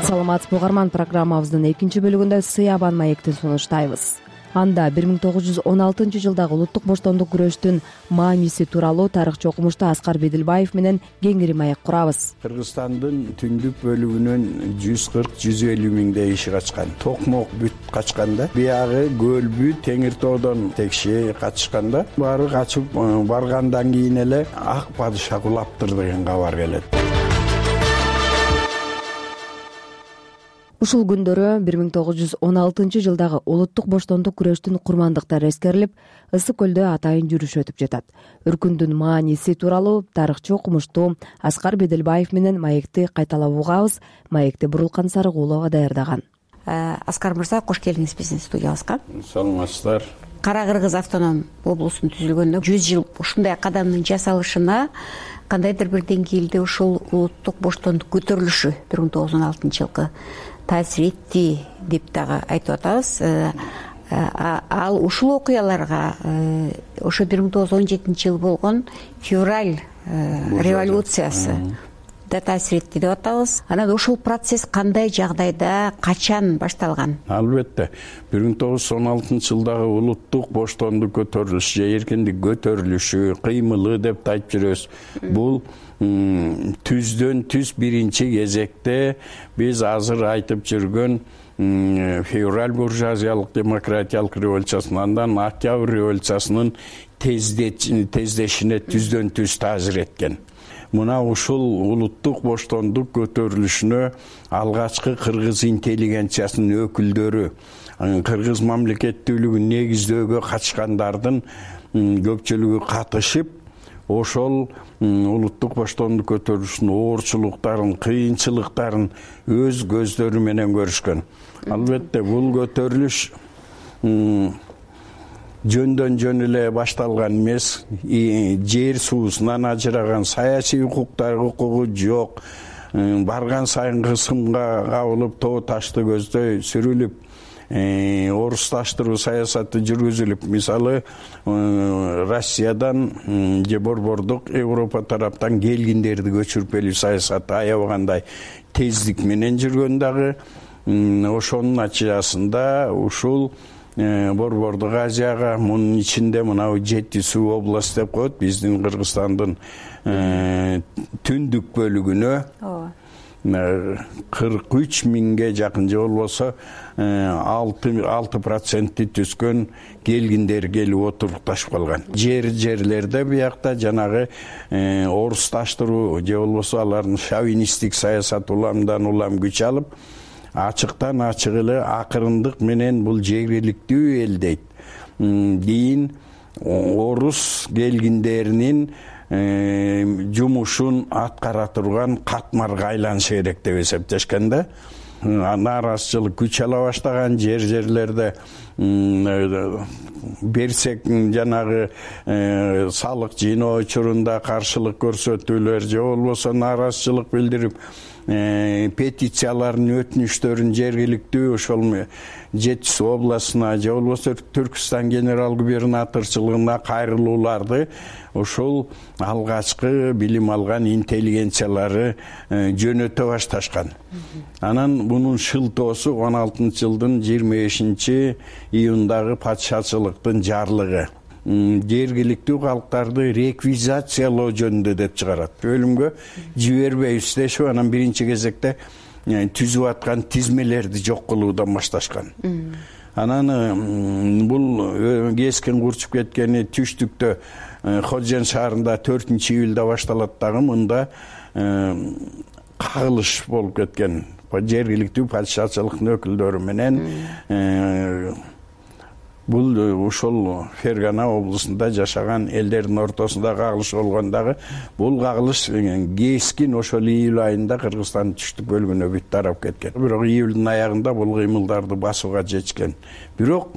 Саламатсызбы угарман, программабыздын экинчи бөлүгүндө Сыябан маектин сунуштайбыз. Анда бир миң тогуз жүз он алтынчы жылдагы улуттук боштондук күрөштүн мааниси тууралуу тарыхчы окумушту Аскар Бедилбаев менен кеңири маек курабыз. Кыргызстандын түндүк бөлүгүнөн жүз кырк жүз элүү миңдей иши качкан. Токмок бүт качканда, биягы Көлбү, Теңир тоодон текши катышканда, баары качып баргандан кийин эле Ак падыша кулаптыр деген кабар келет. Ушул күндөрү бир миң тогуз жүз он алтынчы жылдагы улуттук боштондук күрөштүн курмандыктары эскерилип, Ысык көлдө атайын жүрүш өтүп жатат. Үркүндүн мааниси тууралуу тарыхчы окумушту Аскар Бедилбаев менен маекти кайталап угабыз. Маекти Бурулкан Сарыгулова даярдаган. Аскар мырза, кош келдиңиз биздин студиябызга. Саламатсыздар. Кара Кыргыз автоном облусунун түзүлгөнүнө жүз жыл ушундай кадамдын жасалышына кандайдыр бир деңгээлде ушул улуттук боштондук көтөрүлүшү бир миң тогуз жүз он алтынчы жылкы таасир этти деп дагы айтып атабыз. Ал ушул окуяларга ошо бир миң тогуз жүз он жетинчи жыл болгон февраль революциясы да таасир этти деп атабыз. Анан ушул процесс кандай жагдайда, качан башталган? Албетте, бир миң тогуз жүз он алтынчы жылдагы улуттук боштондук көтөрүлүшү же эркиндик көтөрүлүшү, кыймылы деп да айтып жүрөбүз. Бул түздөн түз биринчи кезекте биз азыр айтып жүргөн февраль буржуазиялык демократиялык революциясынан андан октябрь революциясынын тездешине түздөн түз таасир эткен. Мына ушул улуттук боштондук көтөрүлүшүнө алгачкы кыргыз интеллигенциясынын өкүлдөрү, кыргыз мамлекеттүүлүгүн негиздөөгө катышкандардын көпчүлүгү катышып, ошол улуттук боштондук көтөрүлүшүнүн оорчулуктарын, кыйынчылыктарын өз көздөрү менен көрүшкөн. Албетте, бул көтөрүлүш жөндөн жөн эле башталган эмес. Жер суусунан ажыраган, саясий укуктар укугу жок, барган сайын кысымга кабылып, тоо ташты көздөй сүрүлүп, орусташтыруу саясаты жүргүзүлүп, мисалы Россиядан же борбордук Европа тараптан келгиндерди көчүрүп келүү саясаты аябагандай тездик менен жүргөн дагы. Ошонун натыйжасында ушул борбордук Азияга, мунун ичинде мынау жети суу область деп коет, биздин Кыргызстандын түндүк бөлүгүнө кырк үч миңге жакын же болбосо алты процентти түзгөн келгиндер келип отурукташып калган. Жер жерлерде биякта жанагы орусташтыруу же болбосо алардын шовинисттик саясат уламдан улам күч алып, ачыктан ачык эле акырындык менен бул жергиликтүү эл дейт дейин орус келгиндеринин жумушун аткара турган катмарга айланышы керек деп эсептешкен да. Нааразычылык күч ала баштаган, жер жерлерде берсек жанагы салык жыйноо учурунда каршылык көрсөтүүлөр же болбосо нааразычылык билдирип петициялардын өтүнүчтөрүн жергиликтүү ошол жети суу областына же болбосо Түркстан генерал губернаторчулугуна кайрылууларды ошол алгачкы билим алган интеллигенциялары жөнөтө башташкан. Анан мунун шылтоосу он алтынчы жылдын жыйырма бешинчи июндагы патшачылыктын жарлыгы жергиликтүү калктарды реквизациялоо жөнүндө деп чыгарат. Өлүмгө жибербейбиз дешип, анан биринчи кезекте түзүп аткан тизмелерди жок кылуудан башташкан. Анан бул кескен курчуп кеткени түштүктө Ходжен шаарында төртүнчү июлда башталат дагы, мында кагылыш болуп кеткен. Жергиликтүү патшачылыктын өкүлдөрү менен бул ушул Фергана облусунда жашаган элдердин ортосунда кагылыш болгон дагы, бул кагылыш кескин ошол июль айында Кыргызстандын түштүк бөлүгүнө бүт тарап кеткен. Бирок июлдун аягында бул кыймылдарды басууга жетишкен. Бирок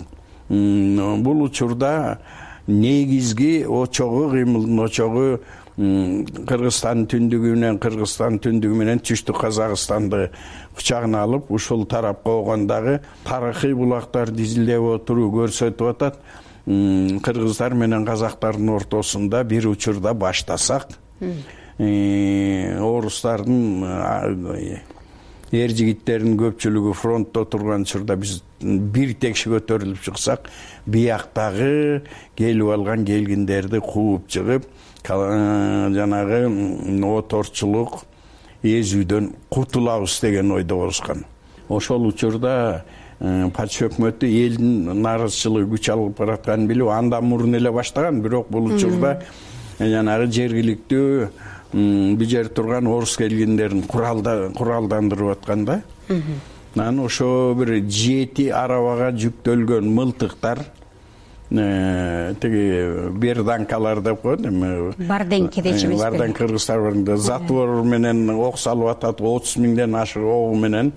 бул учурда негизги очогу, кыймылдын очогу Кыргызстан түндүгү менен Кыргызстан түндүгү менен түштүк Казакстанды кучагына алып, ушул тарапка болгондагы тарыхый булактар дизилдеп отуруу көрсөтүп атат. Кыргыздар менен казактардын ортосунда бир учурда баштасак, орустардын эр жигиттеринин көпчүлүгү фронтто турган учурда биз бир текши көтөрүлүп чыксак, бияктагы келип алган келгиндерди кууп чыгып, жанагы оторчулук эзүүдөн кутулабыз деген ойдо болушкан. Ошол учурда патша өкмөтү элдин нааразычылыгы күч алып баратканын билип, андан мурун эле баштаган. Бирок бул учурда жанагы жергиликтүү бул жер турган орус келгиндерин куралдандырып аткан да. Анан ошо бир жети арабага жүктөлгөн мылтыктар, тиги берданкалар деп коет, эми барденки дечүбүз. Барден кыргыздар барында затвор менен ок салып атат, отуз миңден ашык огу менен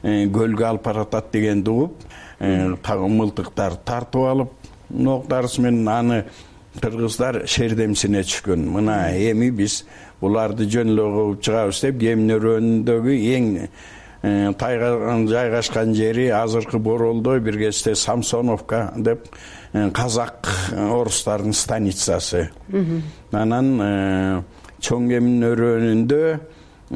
көлгө алып баратат дегенди угуп, мылтыктар тартып алып, ок дарысы менен аны кыргыздар шердемсине түшкөн. Мына эми биз буларды жөн эле кууп чыгабыз деп, Кемин-өрөөнүндөгү эң жайгашкан жери азыркы Боролдо, бир кезде Самсоновка деп казак орустардын станицасы. Анан чоң Кемин-өрөөнүндө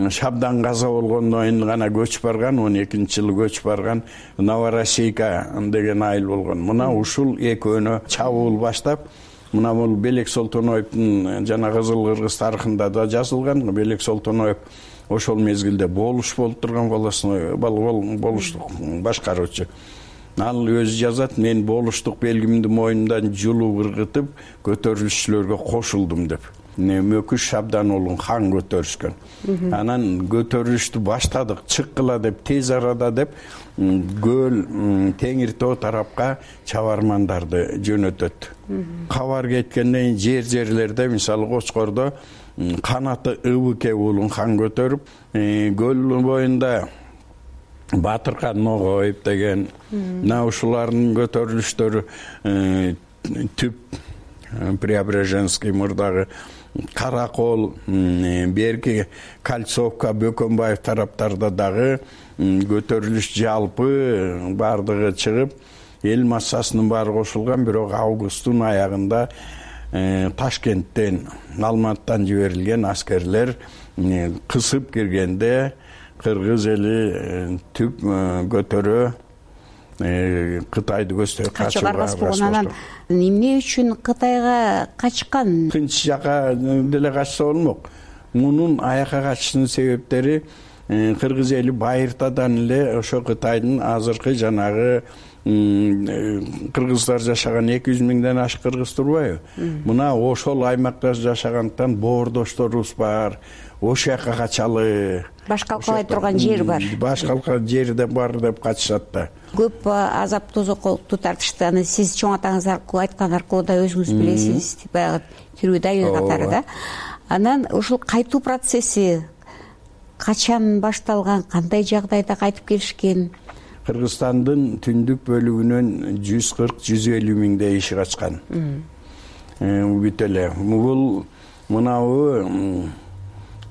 Шабдан каза болгондон кийин гана көчүп барган, он экинчи жылы көчүп барган Новороссийка деген айыл болгон. Мына ушул экөөнө чабуул баштап, мына бул Белек Солтоноевдун жана Кызыл Кыргыз тарыхында да жазылган. Белек Солтоноев ошол мезгилде болуш болуп турган волостной болуштук башкаруучу. Ал өзү жазат, мен болуштук белгимди мойнумдан жулуп ыргытып көтөрүлүшчүлөргө кошулдум деп. Мөкүш Шабдан уулун хан көтөрүшкөн. Анан көтөрүлүштү баштадык, чыккыла деп, тез арада деп көл Теңир тоо тарапка чабармандарды жөнөтөт. Кабар кеткенден жер жерлерде, мисалы Кочкордо канаты Ыбыке уулун хан көтөрүп, көл боюнда Батыркан Ногоев деген, мына ушулардын көтөрүлүштөрү түп Преображенский, мурдагы Каракол, берки Кольцовка, Бөкөнбаев тараптарда дагы көтөрүлүш жалпы бардыгы чыгып, эл массасынын баары кошулган. Бирок августтун аягында Ташкенттен, Алматыдан жиберилген аскерлер кысып киргенде кыргыз эли түп көтөрө Кытайды көздөй качууга аргасыз болгон. Анан эмне үчүн Кытайга качкан? Тынч жака деле качса болмок. Мунун аяка качышынын себептери кыргыз эли байыртадан эле ошо Кытайдын азыркы жанагы кыргыздар жашаган эки жүз миңден ашык кыргыз турбайбы? Мына ошол аймакта жашагандыктан боордошторубуз бар. Ошол жака качалы. Баш калкалай турган жер бар. Баш калкалай жер да бар деп качышат да. Көп азап тозоколукту тартышты. Аны сиз чоң атаңыз аркылуу айткан аркылуу да өзүңүз билесиз. Баягы тирүү дайыр катары да. Анан ушул кайтуу процесси качан башталган, кандай жагдайда кайтып келишкен? Кыргызстандын түндүк бөлүгүнөн жүз кырк жүз элүү миңдей иши качкан. Бүт эле. Бул мынабы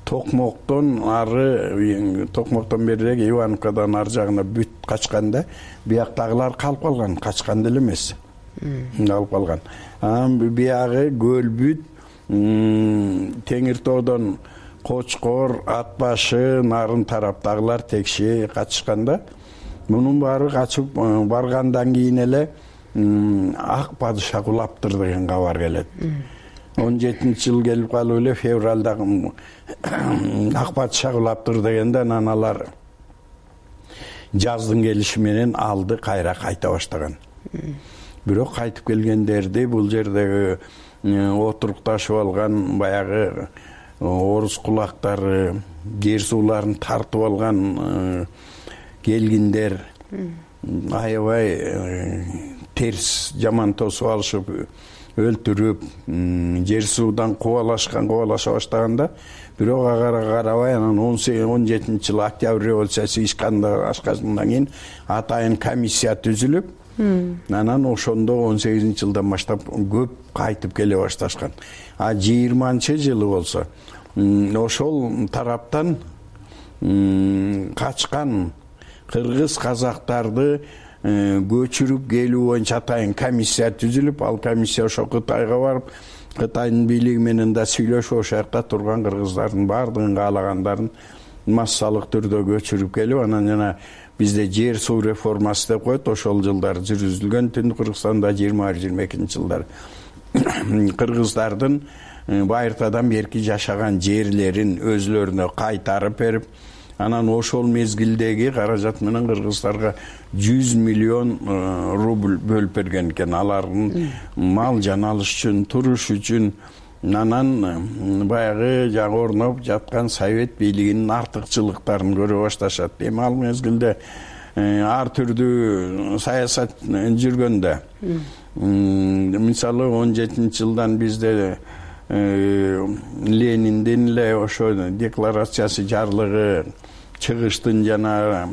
Токмоктон ары, Токмоктон берирээк Ивановкадан ары жагына бүт качканда, бияктагылар калып калган, качкан деле эмес. Калып калган. Анан биягы Көлбүт, Теңир тоодон Кочкор, Ат башы, Нарын тараптагылар Текше качышканда, мунун баары качып баргандан кийин эле Ак падыша кулаптыр деген кабар келет. он жетинчи жыл келип калып эле февралда Ак падыша кулаптыр дегенде анан алар жаздын келиши менен алды кайра кайта баштаган. Бирок кайтып келгендерди бул жердеги отурукташып алган баягы орус кулактары, жер сууларын тартып алган келгиндер аябай терс жаман тосуп алышып, өлтүрүп, жер суудан кубалашкан, кубалаша баштаганда, бирок ага карабай анан он жетинчи жылы Октябрь революциясы ишканда ашкандан кийин атайын комиссия түзүлүп, анан ошондо он сегизинчи жылдан баштап көп кайтып келе башташкан. А жыйырманчы жылы болсо ошол тараптан качкан кыргыз казактарды көчүрүп келүү боюнча атайын комиссия түзүлүп, ал комиссия ошо Кытайга барып, Кытайдын бийлиги менен да сүйлөшүп, ошол жакта турган кыргыздардын баардыгын каалагандарын массалык түрдө көчүрүп келип, анан жана бизде жер суу реформасы деп коет, ошол жылдар жүргүзүлгөн. Түндүк Кыргызстанда жыйырма бир жыйырма экинчи жылдар кыргыздардын байыртадан берки жашаган жерлерин өзлөрүнө кайтарып берип, анан ошол мезгилдеги каражат менен кыргыздарга жүз миллион рубль бөлүп берген экен. Алардын мал жан алыш үчүн, туруш үчүн. Анан баягы жаңы орноп жаткан Совет бийлигинин артыкчылыктарын көрө башташат. Эми ал мезгилде ар түрдүү саясат жүргөндө, мисалы он жетинчи жылдан бизде Лениндин эле ошо декларациясы жарлыгы чыгыштын жана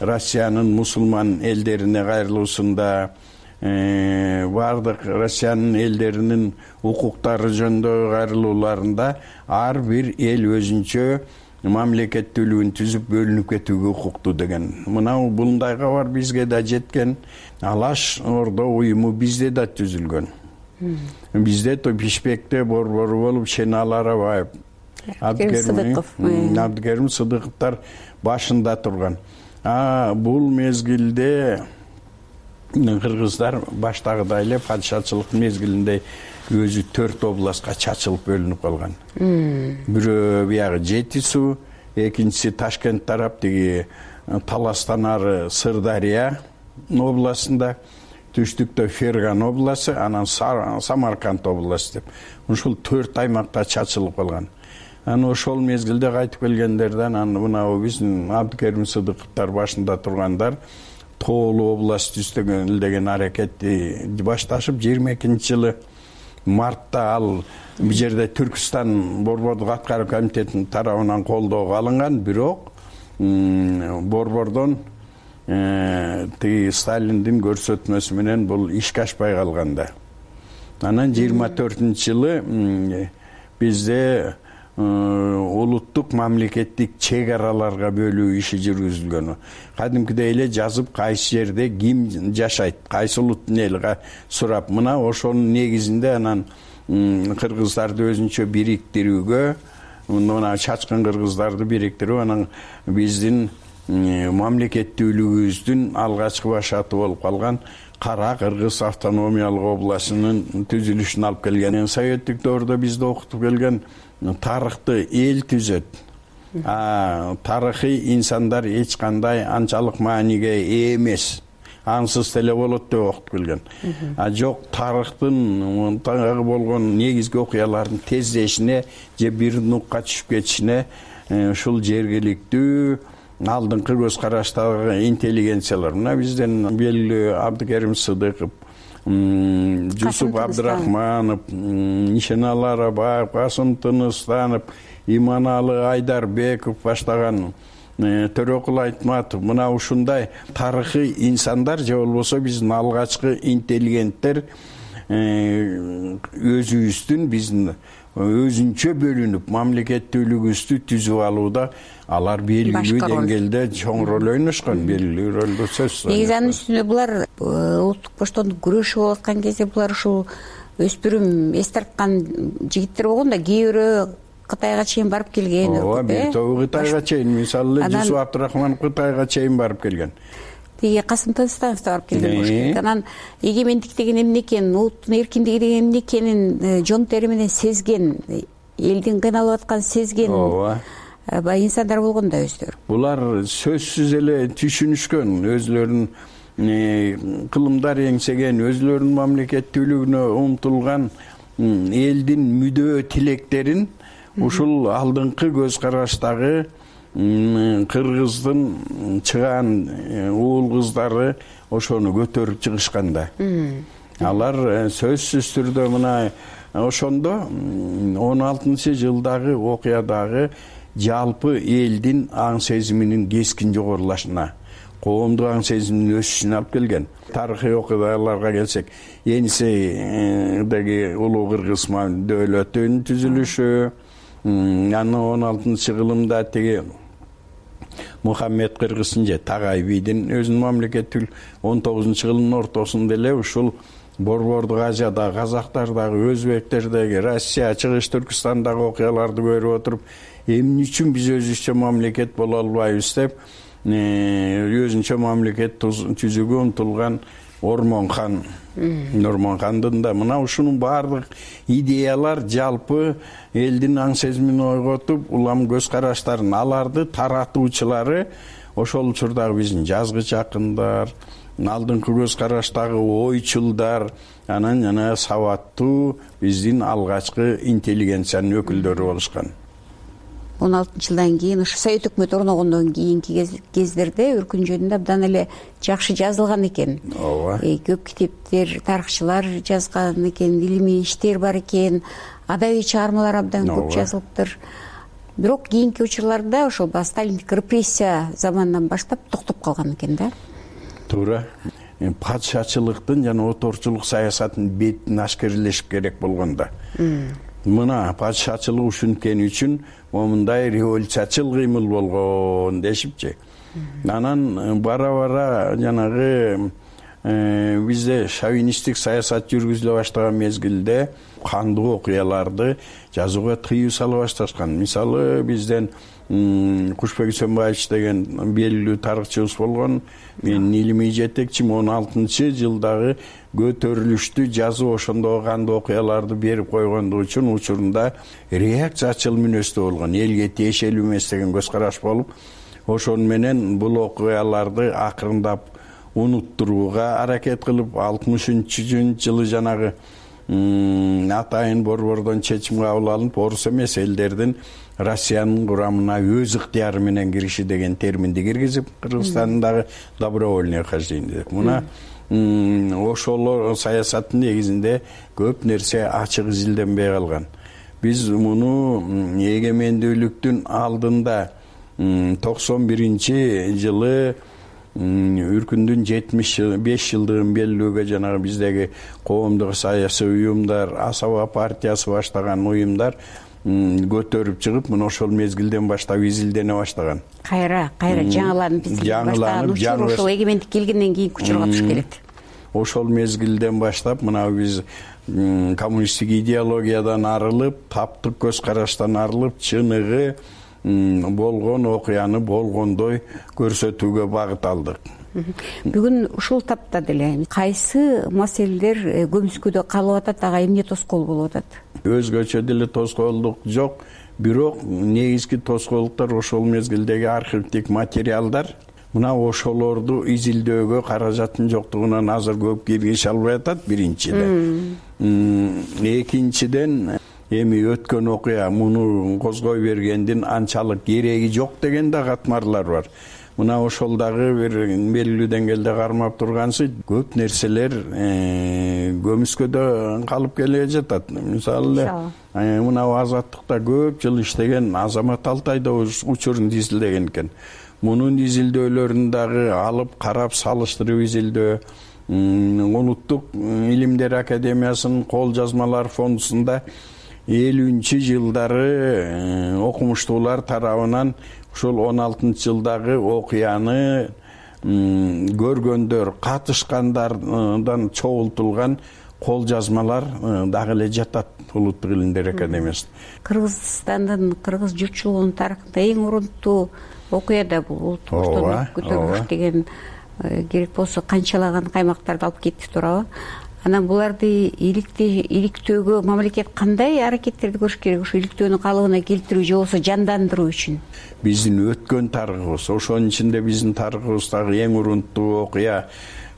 Россиянын мусулман элдерине кайрылуусунда, бардык Россиянын элдеринин укуктары жөнүндө кайрылууларында ар бир эл өзүнчө мамлекеттүүлүгүн түзүп бөлүнүп кетүүгө укуктуу деген. Мына булундай кабар бизге да жеткен. Алаш Ордо уюму бизде да түзүлгөн. Бизде то Бишкекте борбору болуп Шенал Арабаев, Абдыкерим Сыдыковтар башында турган. А бул мезгилде кыргыздар баштагыдай эле падышачылык мезгилинде өзү төрт областка чачылып бөлүнүп калган. Бирөө биягы Жети суу, экинчиси Ташкент тарап, тиги Таластан ары Сырдария областында, түштүктө Ферган областы, анан Самарканд областы деп. Ушул төрт аймакта чачылып калган. Анан ошол мезгилде кайтып келгендерден анан мына биздин Абдыкерим Сыдыковтар башында тургандар Тоолу област түздөгөн деген аракетти башташып, жыйырма экинчи жылы мартта ал бул жерде Түркстан борбордук аткаруу комитетинин тарабынан колдоого алынган, бирок борбордон тиги Сталиндин көрсөтмөсү менен бул ишке ашпай калганда. анан жыйырма төртүнчү жылы бизде улуттук мамлекеттик чек араларга бөлүү иши жүргүзүлгөн. Кадимкидей эле жазып кайсы жерде ким жашайт, кайсы улуттун эли сурап, мына ошонун негизинде анан кыргыздарды өзүнчө бириктирүүгө, мына чачкын кыргыздарды бириктирүү, анан биздин мамлекеттүүлүгүбүздүн алгачкы башаты болуп калган Кара Кыргыз автономиялык областынын түзүлүшүн алып келген. Советтик доордо бизди окутуп келген тарыхты эл түзөт. А тарыхый инсандар эч кандай анчалык мааниге ээ эмес. Ансыз деле болот деп окутуп келген. А жок, тарыхтын тагы болгон негизги окуялардын тездешине же бир нукка түшүп кетишине ушул жергиликтүү алдыңкы көз караштагы интеллигенциялар, мына бизден белгилүү Абдыкерим Сыдыков, Жусуп Абдрахманов, Нишеналы Арабаев, Касым Тыныстанов, Иманалы Айдарбеков баштаган, Төрөкул Айтматов, мына ушундай тарыхый инсандар же болбосо биздин алгачкы интеллигенттер өзүбүздүн биздин өзүнчө бөлүнүп мамлекеттүүлүгүбүздү түзүп алууда алар белгилүү деңгээлде чоң роль ойношкон, белгилүү ролду сөзсүз. Негизи анын үстүнө булар улуттук боштондук күрөшү болуп аткан кезде булар ушул өспүрүм эс тарткан жигиттер болгон да, кээ бирөө Кытайга чейин барып келген. Ооба, бир тобу Кытайга чейин, мисалы Жусуп Абдрахманов Кытайга чейин барып келген. Тиги Касым Тыныстанов да барып келген болуш керек. Анан эгемендик деген эмне экенин, улуттун эркиндиги деген эмне экенин жон тери менен сезген, элдин кыйналып атканын сезген баягы инсандар болгон да өздөрү. Булар сөзсүз эле түшүнүшкөн, өзлөрүнүн кылымдар эңсеген, өзлөрүнүн мамлекеттүүлүгүнө умтулган элдин мүдөө тилектерин ушул алдыңкы көз караштагы кыргыздын чыгаан уул кыздары ошону көтөрүп чыгышкан да. Алар сөзсүз түрдө мына ошондо он алтынчы жылдагы окуядагы жалпы элдин аң сезиминин кескин жогорулашына, коомдук аң сезиминин өсүшүнө алып келген. Тарыхый окуяларга келсек, Енисейдеги улуу кыргыз дөөлөтүнүн түзүлүшү, анан он алтынчы кылымда тиги Мухаммед Кыргыздын же Тагай бийдин өзүнүн мамлекеттүү он тогузунчу кылымдын ортосунда эле ушул Борбордук Азияда, казактардагы, өзбектердеги, Россия, Чыгыш Түркүстандагы окуяларды көрүп отуруп, эмне үчүн биз өзүбүзчө мамлекет боло албайбыз деп өзүнчө мамлекет түзүүгө умтулган Ормонхан, Нормонхандын да мына ушунун баардык идеялар жалпы элдин аң сезимин ойготуп, улам көз караштарын аларды таратуучулары ошол учурдагы биздин жазгыч акындар, алдыңкы көз караштагы ойчулдар, анан жана сабаттуу биздин алгачкы интеллигенциянын өкүлдөрү болушкан. он алтынчы жылдан кийин ушу Совет өкмөтү орногондон кийинки кездерде өркүн жөнүндө абдан эле жакшы жазылган экен. Ооба. Көп китептер, тарыхчылар жазган экен, илимий иштер бар экен, адабий чыгармалар абдан көп жазылыптыр. Бирок кийинки учурларда ошол Сталиндик репрессия заманынан баштап токтоп калган экен да. Туура. Падышачылыктын жана оторчулук саясатынын бетин ашкерлешип керек болгондо. Мына падышачылык ушунткени үчүн момундай революциячыл кыймыл болгон дешипчи. Анан бара-бара жанагы бизде шовинисттик саясат жүргүзүлө баштаган мезгилде кандуу окуяларды жазууга тыюу сала башташкан. Мисалы бизден Кушбек Үсөнбаевич деген белгилүү тарыхчыбыз болгон, менин илимий жетекчим он алтынчы жылдагы көтөрүлүштү жазып ошондо кандуу окуяларды берип койгондугу үчүн учурунда реакциячыл мүнөздө болгон, элге тиешелүү эмес деген көз караш болуп, ошону менен бул окуяларды акырындап унуттурууга аракет кылып, алтымышынчы жылы жанагы атайын борбордон чечим кабыл алынып, орус эмес элдердин Россиянын курамына өз ыктыяры менен кириши деген терминди киргизип, Кыргызстандагы добровольное хождение деп. Мына ошол саясаттын негизинде көп нерсе ачык изилденбей калган. Биз муну эгемендүүлүктүн алдында токсон биринчи жылы үркүндүн жетимиш беш жылдыгын белгилөөгө жанагы биздеги коомдук саясий уюмдар, Асаба партиясы баштаган уюмдар көтөрүп чыгып, мына ошол мезгилден баштап изилдене баштаган. Кайра, кайра жаңыланып изилдене баштаган учур ошол эгемендик келгенден кийинки учурга туш келет. Ошол мезгилден баштап мына биз коммунисттик идеологиядан арылып, таптык көз караштан арылып, чыныгы болгон окуяны болгондой көрсөтүүгө багыт алдык. Бүгүн ушул тапта деле кайсы маселелер көмүскөдө калып атат, ага эмне тоскоол болуп атат? Өзгөчө деле тоскоолдук жок, бирок негизги тоскоолдуктар ошол мезгилдеги архивдик материалдар. Мына ошолорду изилдөөгө каражаттын жоктугунан азыр көп киргише албай атат, биринчиден. Экинчиден, эми өткөн окуя муну козгой бергендин анчалык кереги жок деген да катмарлар бар. Мына ошол дагы бир белгилүү деңгээлде кармап тургансы, көп нерселер көмүскөдө калып келе жатат. Мисалы эле мына Азаттыкта көп жыл иштеген Азамат Алтай да учурун изилдеген экен. Мунун изилдөөлөрүн дагы алып карап салыштырып изилдөө, Улуттук илимдер академиясынын кол жазмалар фондусунда элүүнчү жылдары окумуштуулар тарабынан ушул он алтынчы жылдагы окуяны көргөндөр, катышкандардан чогултулган кол жазмалар дагы эле жатат Улуттук илимдер академиясында. Кыргызстандын, кыргыз журтчулугунун тарыхында эң урунтуу окуя да бул улуттук боштондук көтөрүлүш деген керек болсо канчалаган каймактарды алып кетти туурабы? Анан буларды иликтөөгө мамлекет кандай аракеттерди көрүш керек, ушу иликтөөнү калыбына келтирүү же болбосо жандандыруу үчүн? Биздин өткөн тарыхыбыз, ошонун ичинде биздин тарыхыбыздагы эң урунтуу окуя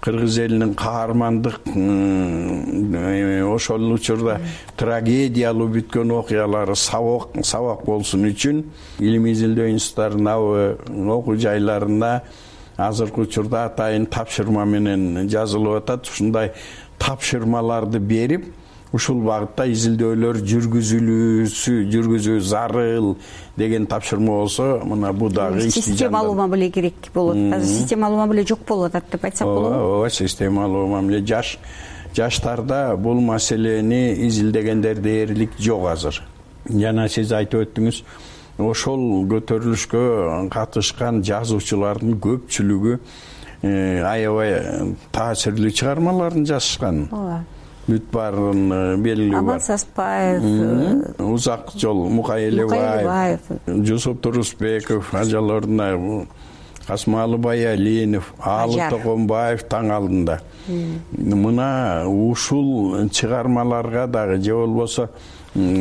кыргыз элинин каармандык, ошол учурда трагедиялуу бүткөн окуялары сабак сабак болсун үчүн илимий изилдөө институттарына, окуу жайларына азыркы учурда атайын тапшырма менен жазылып атат. Ушундай тапшырмаларды берип, ушул багытта изилдөөлөр жүргүзүлүүсү, жүргүзүү зарыл деген тапшырма болсо, мына бу дагы системалуу мамиле керек болот. Азыр системалуу мамиле жок болуп атат деп айтсак болобу? Ооба, системалуу мамиле жаш жаштарда бул маселени изилдегендер дээрлик жок азыр. Жана сиз айтып өттүңүз, ошол көтөрүлүшкө катышкан жазуучулардын көпчүлүгү аябай таасирлүү чыгармаларын жазышкан. Ооба. Бүт баарын белгилүү бар. Аман Саспаев, Узак жол Мукай Элебаев, Жусуп Турусбеков, ажаларына Касымалы Баялинов, Алы Токонбаев таң алдында. Мына ушул чыгармаларга дагы же болбосо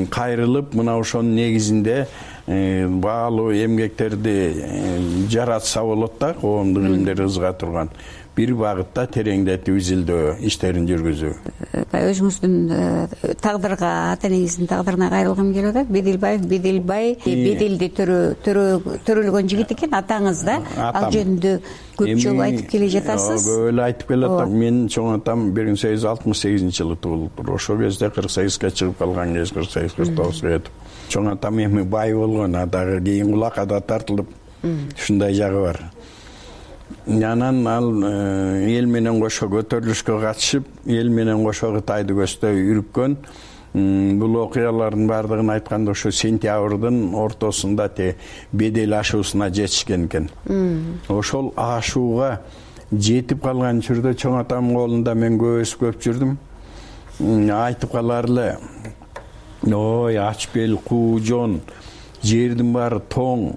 кайрылып, мына ошонун негизинде баалуу эмгектерди жаратса болот да, коомдук илимдер ызга турган. Бир багытта тереңдетип изилдөө иштерин жүргүзүү. Өзүңүздүн тагдырга, ата энеңиздин тагдырына кайрылгым келип атат. Беделбаев, Беделбай, Беделди төрөлгөн жигит экен, атаңыз да. Ал жөнүндө көп жолу айтып келе жатасыз. Көп эле айтып келе атам. Менин чоң атам бир миң сегиз жүз алтымыш сегизинчи жылы туулуптур. Ошол кезде кырк сегизге чыгып калган кез, кырк сегиз кырк тогузга жетип. Чоң атам эми бай болгон, дагы кийин кулакка да тартылып, ушундай жагы бар. Анан ал эл менен кошо көтөрүлүшкө катышып, эл менен кошо Кытайды көздөй үрүпкөн. Бул окуялардын баардыгын айтканда ошо сентябрдын ортосунда те бедел ашуусуна жетишкен экен. Ошол ашууга жетип калган учурда чоң атамдын колунда мен көбөсүп көп жүрдүм. Айтып калар эле: "Ой, ач бел, куу жон, жердин баары тоң,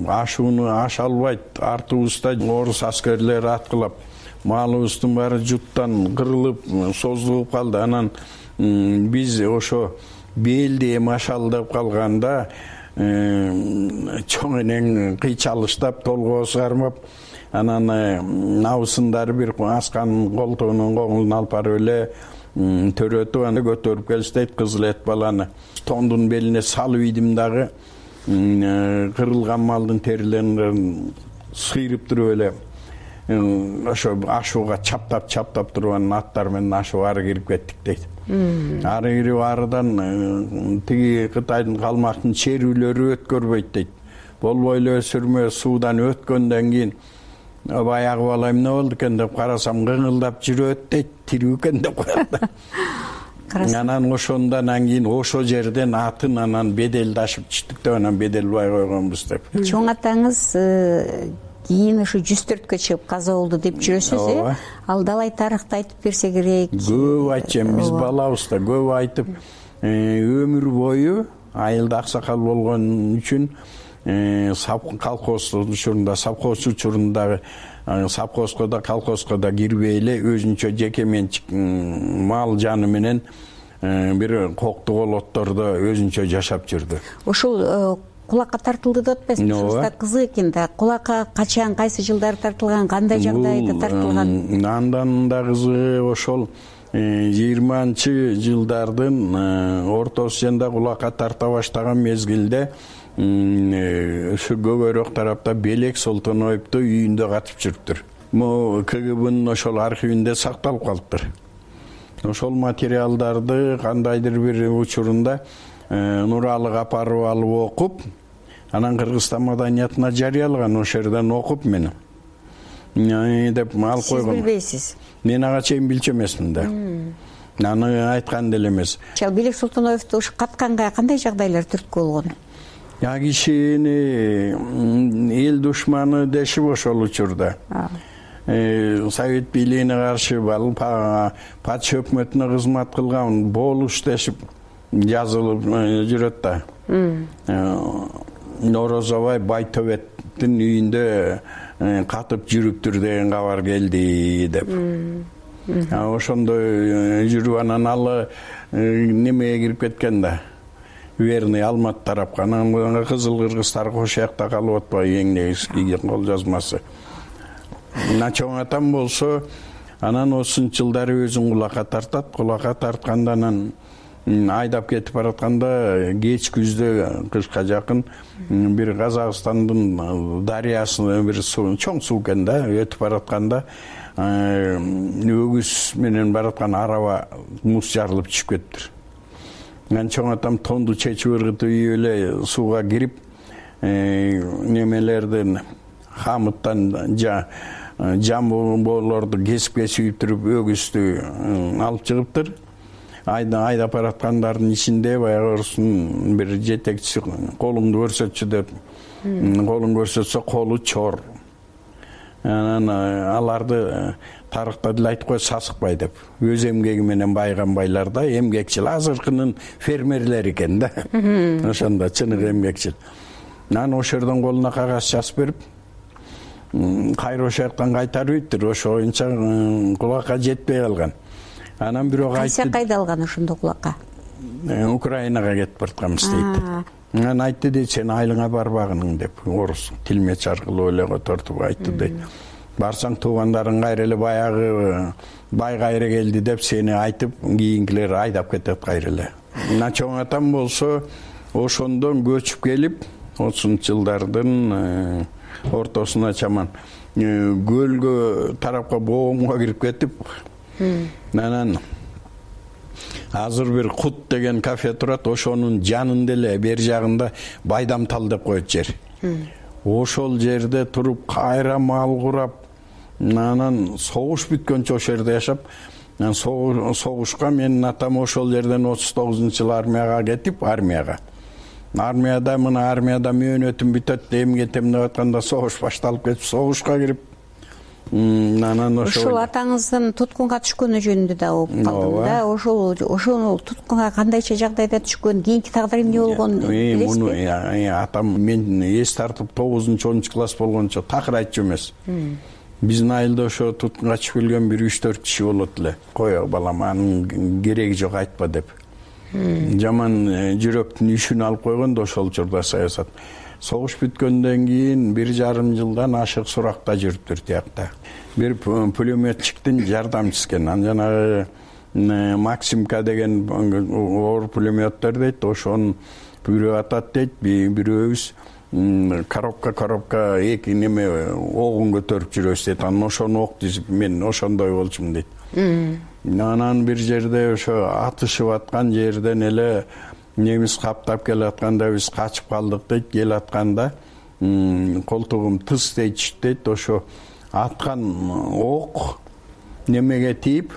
ашууну аша албайт, артыбызда орус аскерлери аткылап, малыбыздын баары жуттан кырылып, создугуп калды. Анан биз ошо белди эми ашалдап калганда, чоң энең кыйчалыштап, толгоосу кармап, анан набысындары бир асканын колтугунун коңулун алып барып эле төрөтүп, аны көтөрүп келиштейт, кызыл эт баланы тондун белине салып идим дагы, кырылган малдын терилерин сыйрып туруп эле ошо ашууга чаптап чаптап туруп, анан аттар менен ашуу ары кирип кеттик дейт. Ары кирип арыдан тиги Кытайдын калмактын черүүлөрү өткөрбөйт дейт. Болбой эле өсүрмө суудан өткөндөн кийин баягы бала эмне болду экен деп карасам кыңылдап жүрөт дейт, тирүү экен деп коет да. Анан ошондон кийин ошол жерден атын анан беделди ашып чыктык деп анан Беделбай койгонбуз деп. Чоң атаңыз кийин ушу жүз төрткө чыгып каза болду деп жүрөсүз, э? Ал далай тарыхты айтып берсе керек. Көп айтчам, биз балабыз да көп айтып, өмүр бою айылда аксакал болгон үчүн колхоз учурунда, совхоз учурундагы совхозго да, колхозго да кирбей эле өзүнчө жеке менчик мал жаны менен бир кокту колоттордо өзүнчө жашап жүрдү. Ошол кулакка тартылды деп атпайсызбы? Ушул да кызык экен да. Кулакка качан, кайсы жылдары тартылган, кандай жагдайда тартылган? Андан да кызыгы ошол жыйырманчы жылдардын ортосунда кулакка тарта баштаган мезгилде ушу көбөйрөөк тарапта Белек Солтоноевду үйүндө катып жүрүптүр. Могу КГБнын ошол архивинде сакталып калыптыр. Ошол материалдарды кандайдыр бир учурунда Нуралы капарып алып окуп, анан Кыргызстан маданиятына жарыялаган, ошол жерден окуп мен деп алып койгон. Сиз билбейсиз? Мен ага чейин билчү эмесмин да. Аны айткан деле эмес. Ал Белек Солтоноевду ушу катканга кандай жагдайлар түрткү болгон? Я кишини эл душманы дешип ошол учурда. Совет бийлигине каршы патша өкмөтүнө кызмат кылган болуш дешип жазылып жүрөт да. Норозобай Байтөбеттин үйүндө катып жүрүптүр деген кабар келди деп. Ошондой жүрүп анан ал немеге кирип кеткен да. Верный Алмат тарапка. Анан Кызыл Кыргыздар кошуякта калып атпайбы эң негизги кол жазмасы. Чоң атам болсо анан осунчу жылдары өзүн кулакка тартат. Кулакка тартканда анан айдап кетип баратканда кеч күздө кышка жакын бир Казакстандын дарыясына бир суу, чоң суу экен да, өтүп баратканда өгүз менен бараткан араба муз жарылып түшүп кетиптир. Анан чоң атам тонду чечип ыргытып ийип эле сууга кирип, немелерден хамыттан жамбоолорду кесип-кесип туруп өгүздү алып чыгыптыр. Айда айдап бараткандардын ичинде баягы орустун бир жетекчиси колуңду көрсөтчү деп, колун көрсөтсө колу чор. Анан аларды тарыхта деле айтып коет, сасыкбай деп. Өз эмгеги менен байган байлар да, эмгекчил, азыркынын фермерлери экен да. Ошондо чыныгы эмгекчил. Анан ошол жерден колуна кагаз жазып берип, кайра ошол жактан кайтарып ийиптир. Ошо боюнча кулакка жетпей калган. Анан бирок айтты. Кайсы кайда алган ошондо кулакка? Украинага кетип баратканбыз дейт. Анан айтты дейт, сен айылыңа барбагының деп, орус тилмеч аркылуу эле котортуп айтты дейт. Барсаң туугандарың кайра эле баягы бай кайра келди деп сени айтып, кийинкилер айдап кетет кайра эле. Мына чоң атам болсо ошондон көчүп келип, отузунчу жылдардын ортосуна чаман көлгө тарапка боомго кирип кетип, анан азыр бир Кут деген кафе турат, ошонун жанында эле бер жагында Байдамтал деп коет жер. Ошол жерде туруп кайра мал курап, анан согуш бүткөнчө ошол жерде жашап, анан согушка менин атам ошол жерден отуз тогузунчу жылы армияга кетип, армияга. Армияда мына армияда мөөнөтүм бүтөт, эми кетем деп атканда согуш башталып кетип, согушка кирип, анан ошол атаңыздын туткунга түшкөнү жөнүндө да угуп калдым да. Ошол ошол туткунга кандайча жагдайда түшкөн, кийинки тагдыры эмне болгонун билесизби? Атам мен эс тартып тогузунчу онунчу класс болгончо такыр айтчу эмес. Биздин айылда ошо туткунга түшүп келген бир үч төрт киши болот эле. Кой балам, анын кереги жок, айтпа деп. Жаман жүрөктүн үшүн алып койгон да ошол учурда саясат. Согуш бүткөндөн кийин бир жарым жылдан ашык суракта жүрүптүр тиякта. Бир пулеметчиктин жардамчысы экен. Анан жанагы Максимка деген оор пулеметтер дейт, ошонун бирөө атат дейт, бирөөбүз коробка коробка эки неме огун көтөрүп жүрөбүз дейт. Анан ошону ок дизип мен ошондой болчумун дейт. Анан бир жерде ошо атышып аткан жерден эле немис каптап келатканда биз качып калдык дейт. Келатканда колтугум тыс дейт дейт. Ошо аткан ок немеге тийип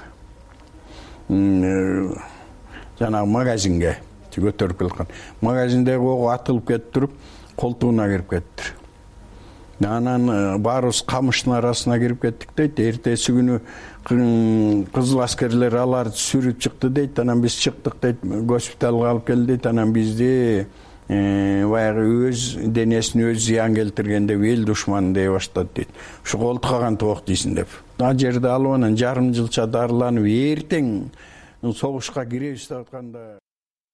жанагы магазинге көтөрүп келаткан. Магазиндеги ок атылып кетип туруп колтугуна кирип кетти. Анан баарыбыз камыштын арасына кирип кеттик дейт. Эртеси күнү кызыл аскерлер аларды сүрүп чыкты дейт. Анан биз чыктык дейт, госпиталга алып келди дейт. Анан бизди баягы өз денесине өз зыян келтирген деп эл душманы дей баштады дейт. Ушу колтук каган ок дейсиң деп. Ал жерде алып анан жарым жылча дарыланып эртең согушка киребиз деп атканда